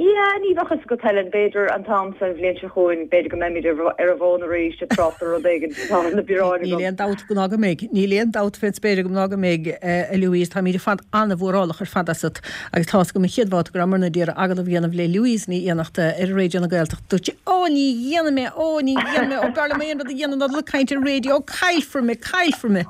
Speaker 6: Yeah, ní bheadh fhios agat Helen, b'fhéidir an t-am san bhliain seo chugainn, b'fhéidir go mbeimid ar an bhfón arís ag trácht ar rud éigin, tá na bioráin
Speaker 1: Níl
Speaker 6: agam.
Speaker 1: aon dabht ná go mbeidh, níl aon dabht fén spéir agam ná go mbeidh, a Louise, táimid ar fad an-mhórálach ar fad asat agus tá's agam an chéad bhabhta go rabhamarna d'iarraidh agallamh a dhéanamh le Louise Ní Fhiannachta ar Raidió na Gaeltachta, dúirt sí, Ó, ní dhéanfaidh mé, ó, ní dhéanfaidh mé, ó, b'fhearr liom aon rud a dhéanamh ná dul ag caint ar raidió, ó, caillfear mé, caillfear mé!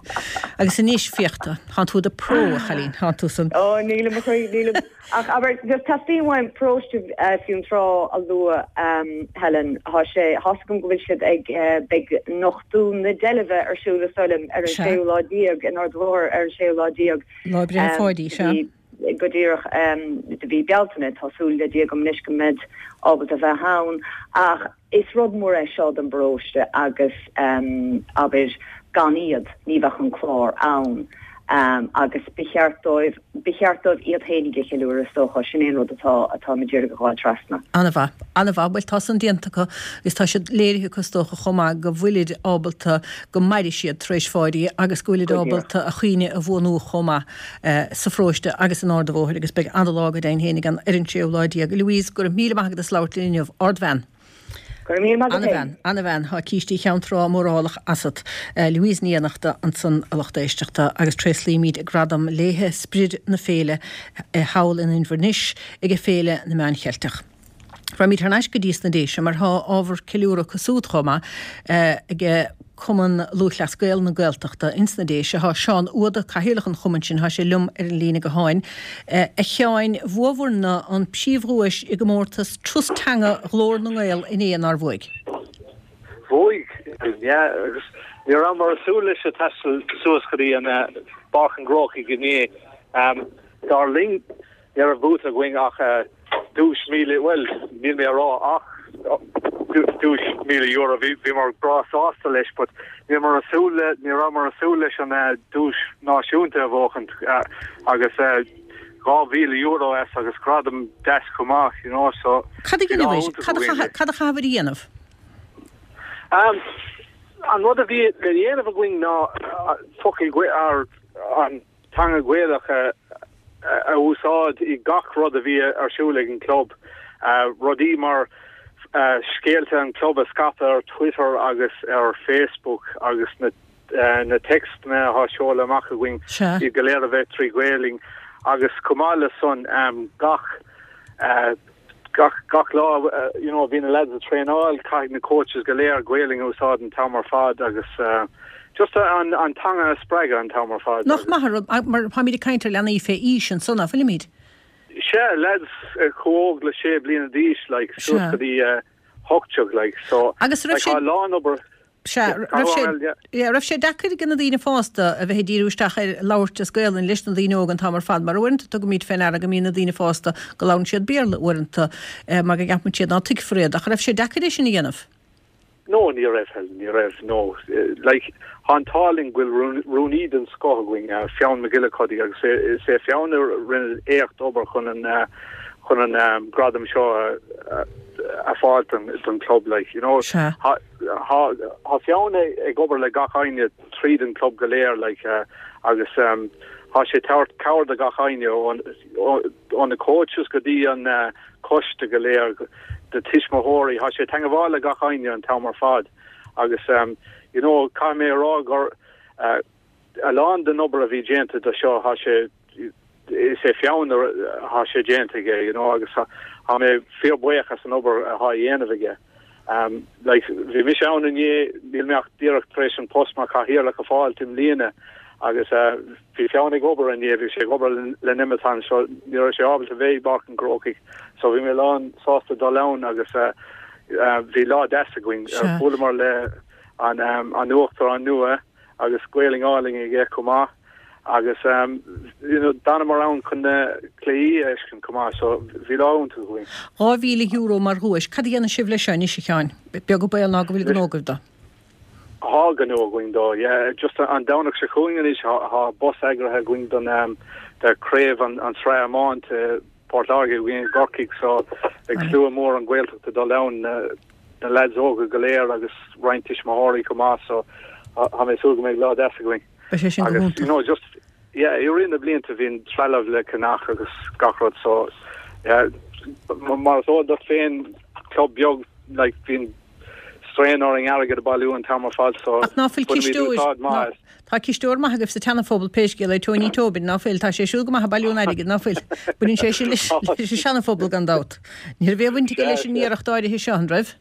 Speaker 1: Agus anois, féach tú, tánn tú i do pro, a chailín, tánn tú san.
Speaker 6: Ó, nílim a chroí, nílim. Ach abair, just teastaíonn uaim paróiste Fionntrá a lua, Helen, tá sé, tá's agam go bhfuil siad ag, beidh nochtadh na deilbhe ar siúl is dóigh liom ar an séú lá déag in Ard an Bhóthair ar an séú lá déag.
Speaker 1: Lá Breithe Pháidí, sea.
Speaker 6: Go díreach de mhí Bealtaine, tá súil le Dia agam anois go mbeid ábalta bheith ann. Ach is rud mór é seo don bparóiste agus abair gan iad ní bheadh an clár ann. Agus ba cheart dóibh, ba cheart dóibh iad féinig a cheiliúradh is dócha, sin é an rud atá, atáim ag iarraidh a ghabháil trasna.
Speaker 1: An-mhaith, an-mhaith. Bhuel tá san déanta acu agus tá siad léirithe acu is dócha chomh maith go bhfuilid ábalta go mairfidh siad tar éis Pháidí agus go bhfuilid ábalta a chuimhne a bhuanú chomh maith sa pharóiste agus in Ard an Bhóthair agus beidh an-lá go deimhin féinig ann ar an séú lá déag. Louise, go raibh míle maith agat as labhairt linn inniu. Ardbhean.
Speaker 6: Go raibh míle maith agat
Speaker 1: An-bhean, an-bhean. Tá Cístí Cheann Trá mórálach asat. Louise Ní Fhiannachta ansan a lucht éisteachta agus tréaslaímid gradam léithe sprid na féile thall in Inbhir Nis ag Féile na Meán Cheilteach. Raghaimid thar n-ais go dtí sna Déise mar tá ábhar ceiliúradh acu súd chomh maith ag Cumann Lúthchleas Gael na Gaeltachta ins na Déise. Tá Seán Uada, Cathaoirleach an chumainn sin, tá sé liom ar an líne gutháin. A Sheáin, bhuabhair-na an príomhdhuais i gcomórtas Trust Teanga Ghlór na nGael inné, nár bhuaigh?
Speaker 7: Bhuaigh, yeah, agus ní rabhamar ag súil leis ag taisteal suas go dtí an Pháirc an Chrócaigh inné. Dar linn, ní raibh buaite againn ach duais míle, bhuel, níl mé a rá ach duais míle euro, bhí bhíomar breá sásta leis, but ní rabhamar ag súil le, ní rabhamar ag súil leis an duais náisiúnta a bhuachaint agus dhá mhíle euro as agus gradam deas chomh maith, you know, so
Speaker 1: Cad a dhéanamh, cad a cad a chaithfear a dhéanamh?
Speaker 7: Um, an rud a bhí le dhéanamh againn ná focail ar an teanga Ghaelach a a úsáid i gach rud a bhí ar siúl ag an club. Rudaí mar scéalta an club a scaipeadh ar Twitter agus ar Facebook agus na na téacsanna atá seolta amach againn iad go léir a bheith trí Ghaelainn agus chomh maith le san gach gach gach lá you know bhí na lads ag traenáil caithfidh na coaches go léir Gaelainn a úsáid an t-am ar fad agus just an an teanga a spreagadh an t-am ar fad.
Speaker 1: Nach maith rud mar táimid ag caint ar leanaí fé aois ansan, nach bhfuilimid?
Speaker 7: Sea, lads chomh óg le sé bliana d'aois like suas go dtí hocht déag like so
Speaker 1: Agus raibh sé
Speaker 7: tá a lán obair
Speaker 1: Sea, raibh sé yeah, raibh sé deacair ag na daoine fásta a bheith ag díriú isteach ar labhairt as Gaelainn leis na daoine óga an t-am ar fad, mar uaireanta tugaimid fé ndeara go mbíonn na daoine fásta go labhrann siad Béarla uaireanta mar go gceapann siad ná tuigfear iad, ach raibh sé deacair é sin a dhéanamh?
Speaker 7: No, ní raibh, Helen, ní raibh, no. Like, tá an t-ádh linn go bhfuil rúnaí den scoth againn, Fionn McGillicuddy, agus is é Fionn a rinne éacht obair chun an chun an gradam seo a a fháil don don club, like, you know.
Speaker 1: Sea.
Speaker 7: Tá tá Fionn ag obair le gach éinne tríd an club go léir, like, agus tá sé ag tabhairt cabhair do gach éinne ó na coaches go dtí an coiste go léir, do tuismitheoirí, tá sé ag teagmháil le gach éinne an t-am ar fad agus you know caithfidh mé a rá gur a lán den obair a bhí déanta do seo tá sé is é Fionn atá sé déanta aige you know agus tá mé fíorbhuíoch as an obair atá á dhéanamh aige. Um, like, bhí mise ann inné, níl mé ach díreach tar éis an post mar chathaoirleach a fháil i mbliana agus uh, bhí Fionn ag obair inné, bhí sé ag obair le Nemeton so ní raibh sé ábalta bheith i bPáirc an Chrócaigh so bhí mé lán sásta dul ann agus uh, uh, bhí lá deas againn. Uh, buaileamar le an, um, an uachtarán nua agus Gaelainn álainn aige chomh maith agus um, you know, d'fhanamar ann chun na cluichí a fheiscint chomh maith so bhí lá iontach againn.
Speaker 1: Dhá mhíle euro mar dhuais, cad a dhéanfaidh sibh leis seo anois a Sheáin? Beag an baol ná go bhfuil gnó agaibh dó.
Speaker 7: Tá gnó againn dó, yeah. Just an Domhnach seo chugainn anois tá bus eagraithe againn don um, do craobh an, an sraith iomáint Port Láirge againn i gCorcaigh so beidh slua mór an Ghaeltacht ag dul ann na, na lads óga go léir agus roinnt tuismitheoirí chomh maith so tá mé ag súil go mbeidh lá deas againn.
Speaker 1: Beidh sé sin go
Speaker 7: Agus
Speaker 1: hiontach.
Speaker 7: you know just yeah, i rith na blianta bhíonn trealamh le ceannach agus gach rud so yeah, mar is eol duit féin club beag like bíonn strain orainn airgead a bailiú an t-am ar fad so
Speaker 1: Ach ná fuil
Speaker 7: bainimid
Speaker 1: cisteoir
Speaker 7: úsáid maith as.
Speaker 1: Tá cisteoir maith agaibh sa tSeana-Phobal pé scéal é, Tony Tobin, ná fuil? Tá sé siúd go maith ag bailiú an airgid, ná fuil? Baineann sé sin leis leis an Seana-Phobal gan dabht. Ní raibh aon bhaint aige leis an iarracht áirithe seo, an raibh?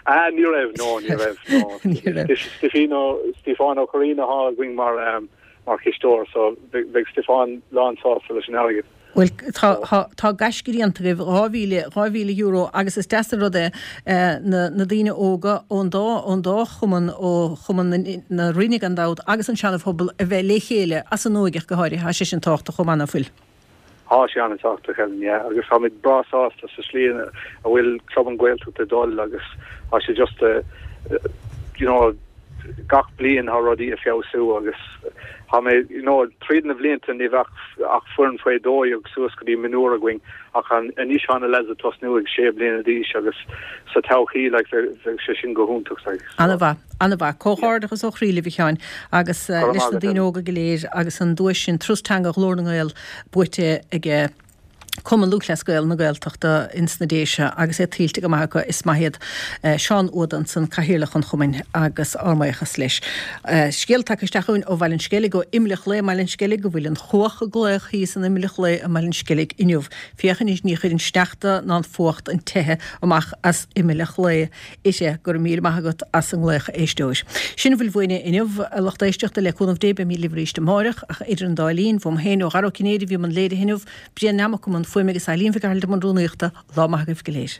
Speaker 7: Ah, ní raibh, no, ní raibh, no.
Speaker 1: Ní raibh.
Speaker 7: Stiofán Stiofán Ó Curraoin atá againn mar um, mar chisteoir, so beidh beidh Stiofán lán sásta leis an airgead.
Speaker 1: Bhuel tá tá tá gaisce déanta agaibh dhá mhíle dhá mhíle euro agus is deas an rud é eh, na na daoine óga ón dá ón dá chumann ó chumann na na Rinne gan dabht agus an Seana-Phobal a bheith le chéile as an óige go háirithe, tá sé sin tábhachtach chomh maith ná fuil.
Speaker 7: Tá sé an-tábhachtach Helen, yeah, agus táimid breá sásta sa slí a bhfuil Club an Ghaeltacht ag dul agus tá sé just a, you know, gach bliain tá rudaí ag feabhsú agus tá mé you know, tríd na blianta ní bheadh ach foireann faoi dó dhéag suas go dtí mionúir againn ach an anois tá na lads ag tosnú ag sé bliana d'aois agus sa todhchaí like bheadh sé sin go hiontach like. So,
Speaker 1: An-mhaith, an-mhaith, comhghairdeachas ó chroí libh a Sheáin agus uh,
Speaker 7: Go raibh
Speaker 1: leis
Speaker 7: maith
Speaker 1: na
Speaker 7: agat,
Speaker 1: daoine
Speaker 7: Helen.
Speaker 1: óga go léir agus an duais sin Turas Teanga Ghlór na nGael buaite aige Cumann Lúthchleas Gael na Gaeltachta ins na Déise agus é tuillte go maith acu is maith iad eh, Seán Ó hAodha ansan cathaoirleach an chumainn agus ár mbuíochas leis. Eh, Scéal tagtha isteach chugainn ó Bhaile an Sceilg ó Imleach Lae Baile an Sceilg go bhfuil an chuach ag glaoch thíos in Imleach Lae i mBaile an Sceilg inniu. Féach anois ní chuireann sneachta ná an fuacht an teitheadh amach as Imleach Lae ise go raibh míle maith agat as an nglaoch éisteoir. Sin a bhfuil uainne inniu a lucht éisteachta le cúnamh Dé beimid libh arís amárach ach idir an dá linn uaim féin ó Dhara Ó Cinnéide bhí i mbun léirithe inniu, Brian Namacum an fuaim agus Eileen Mhic Gearailt i mbun rúnaíochta lá maith agaibh go léir.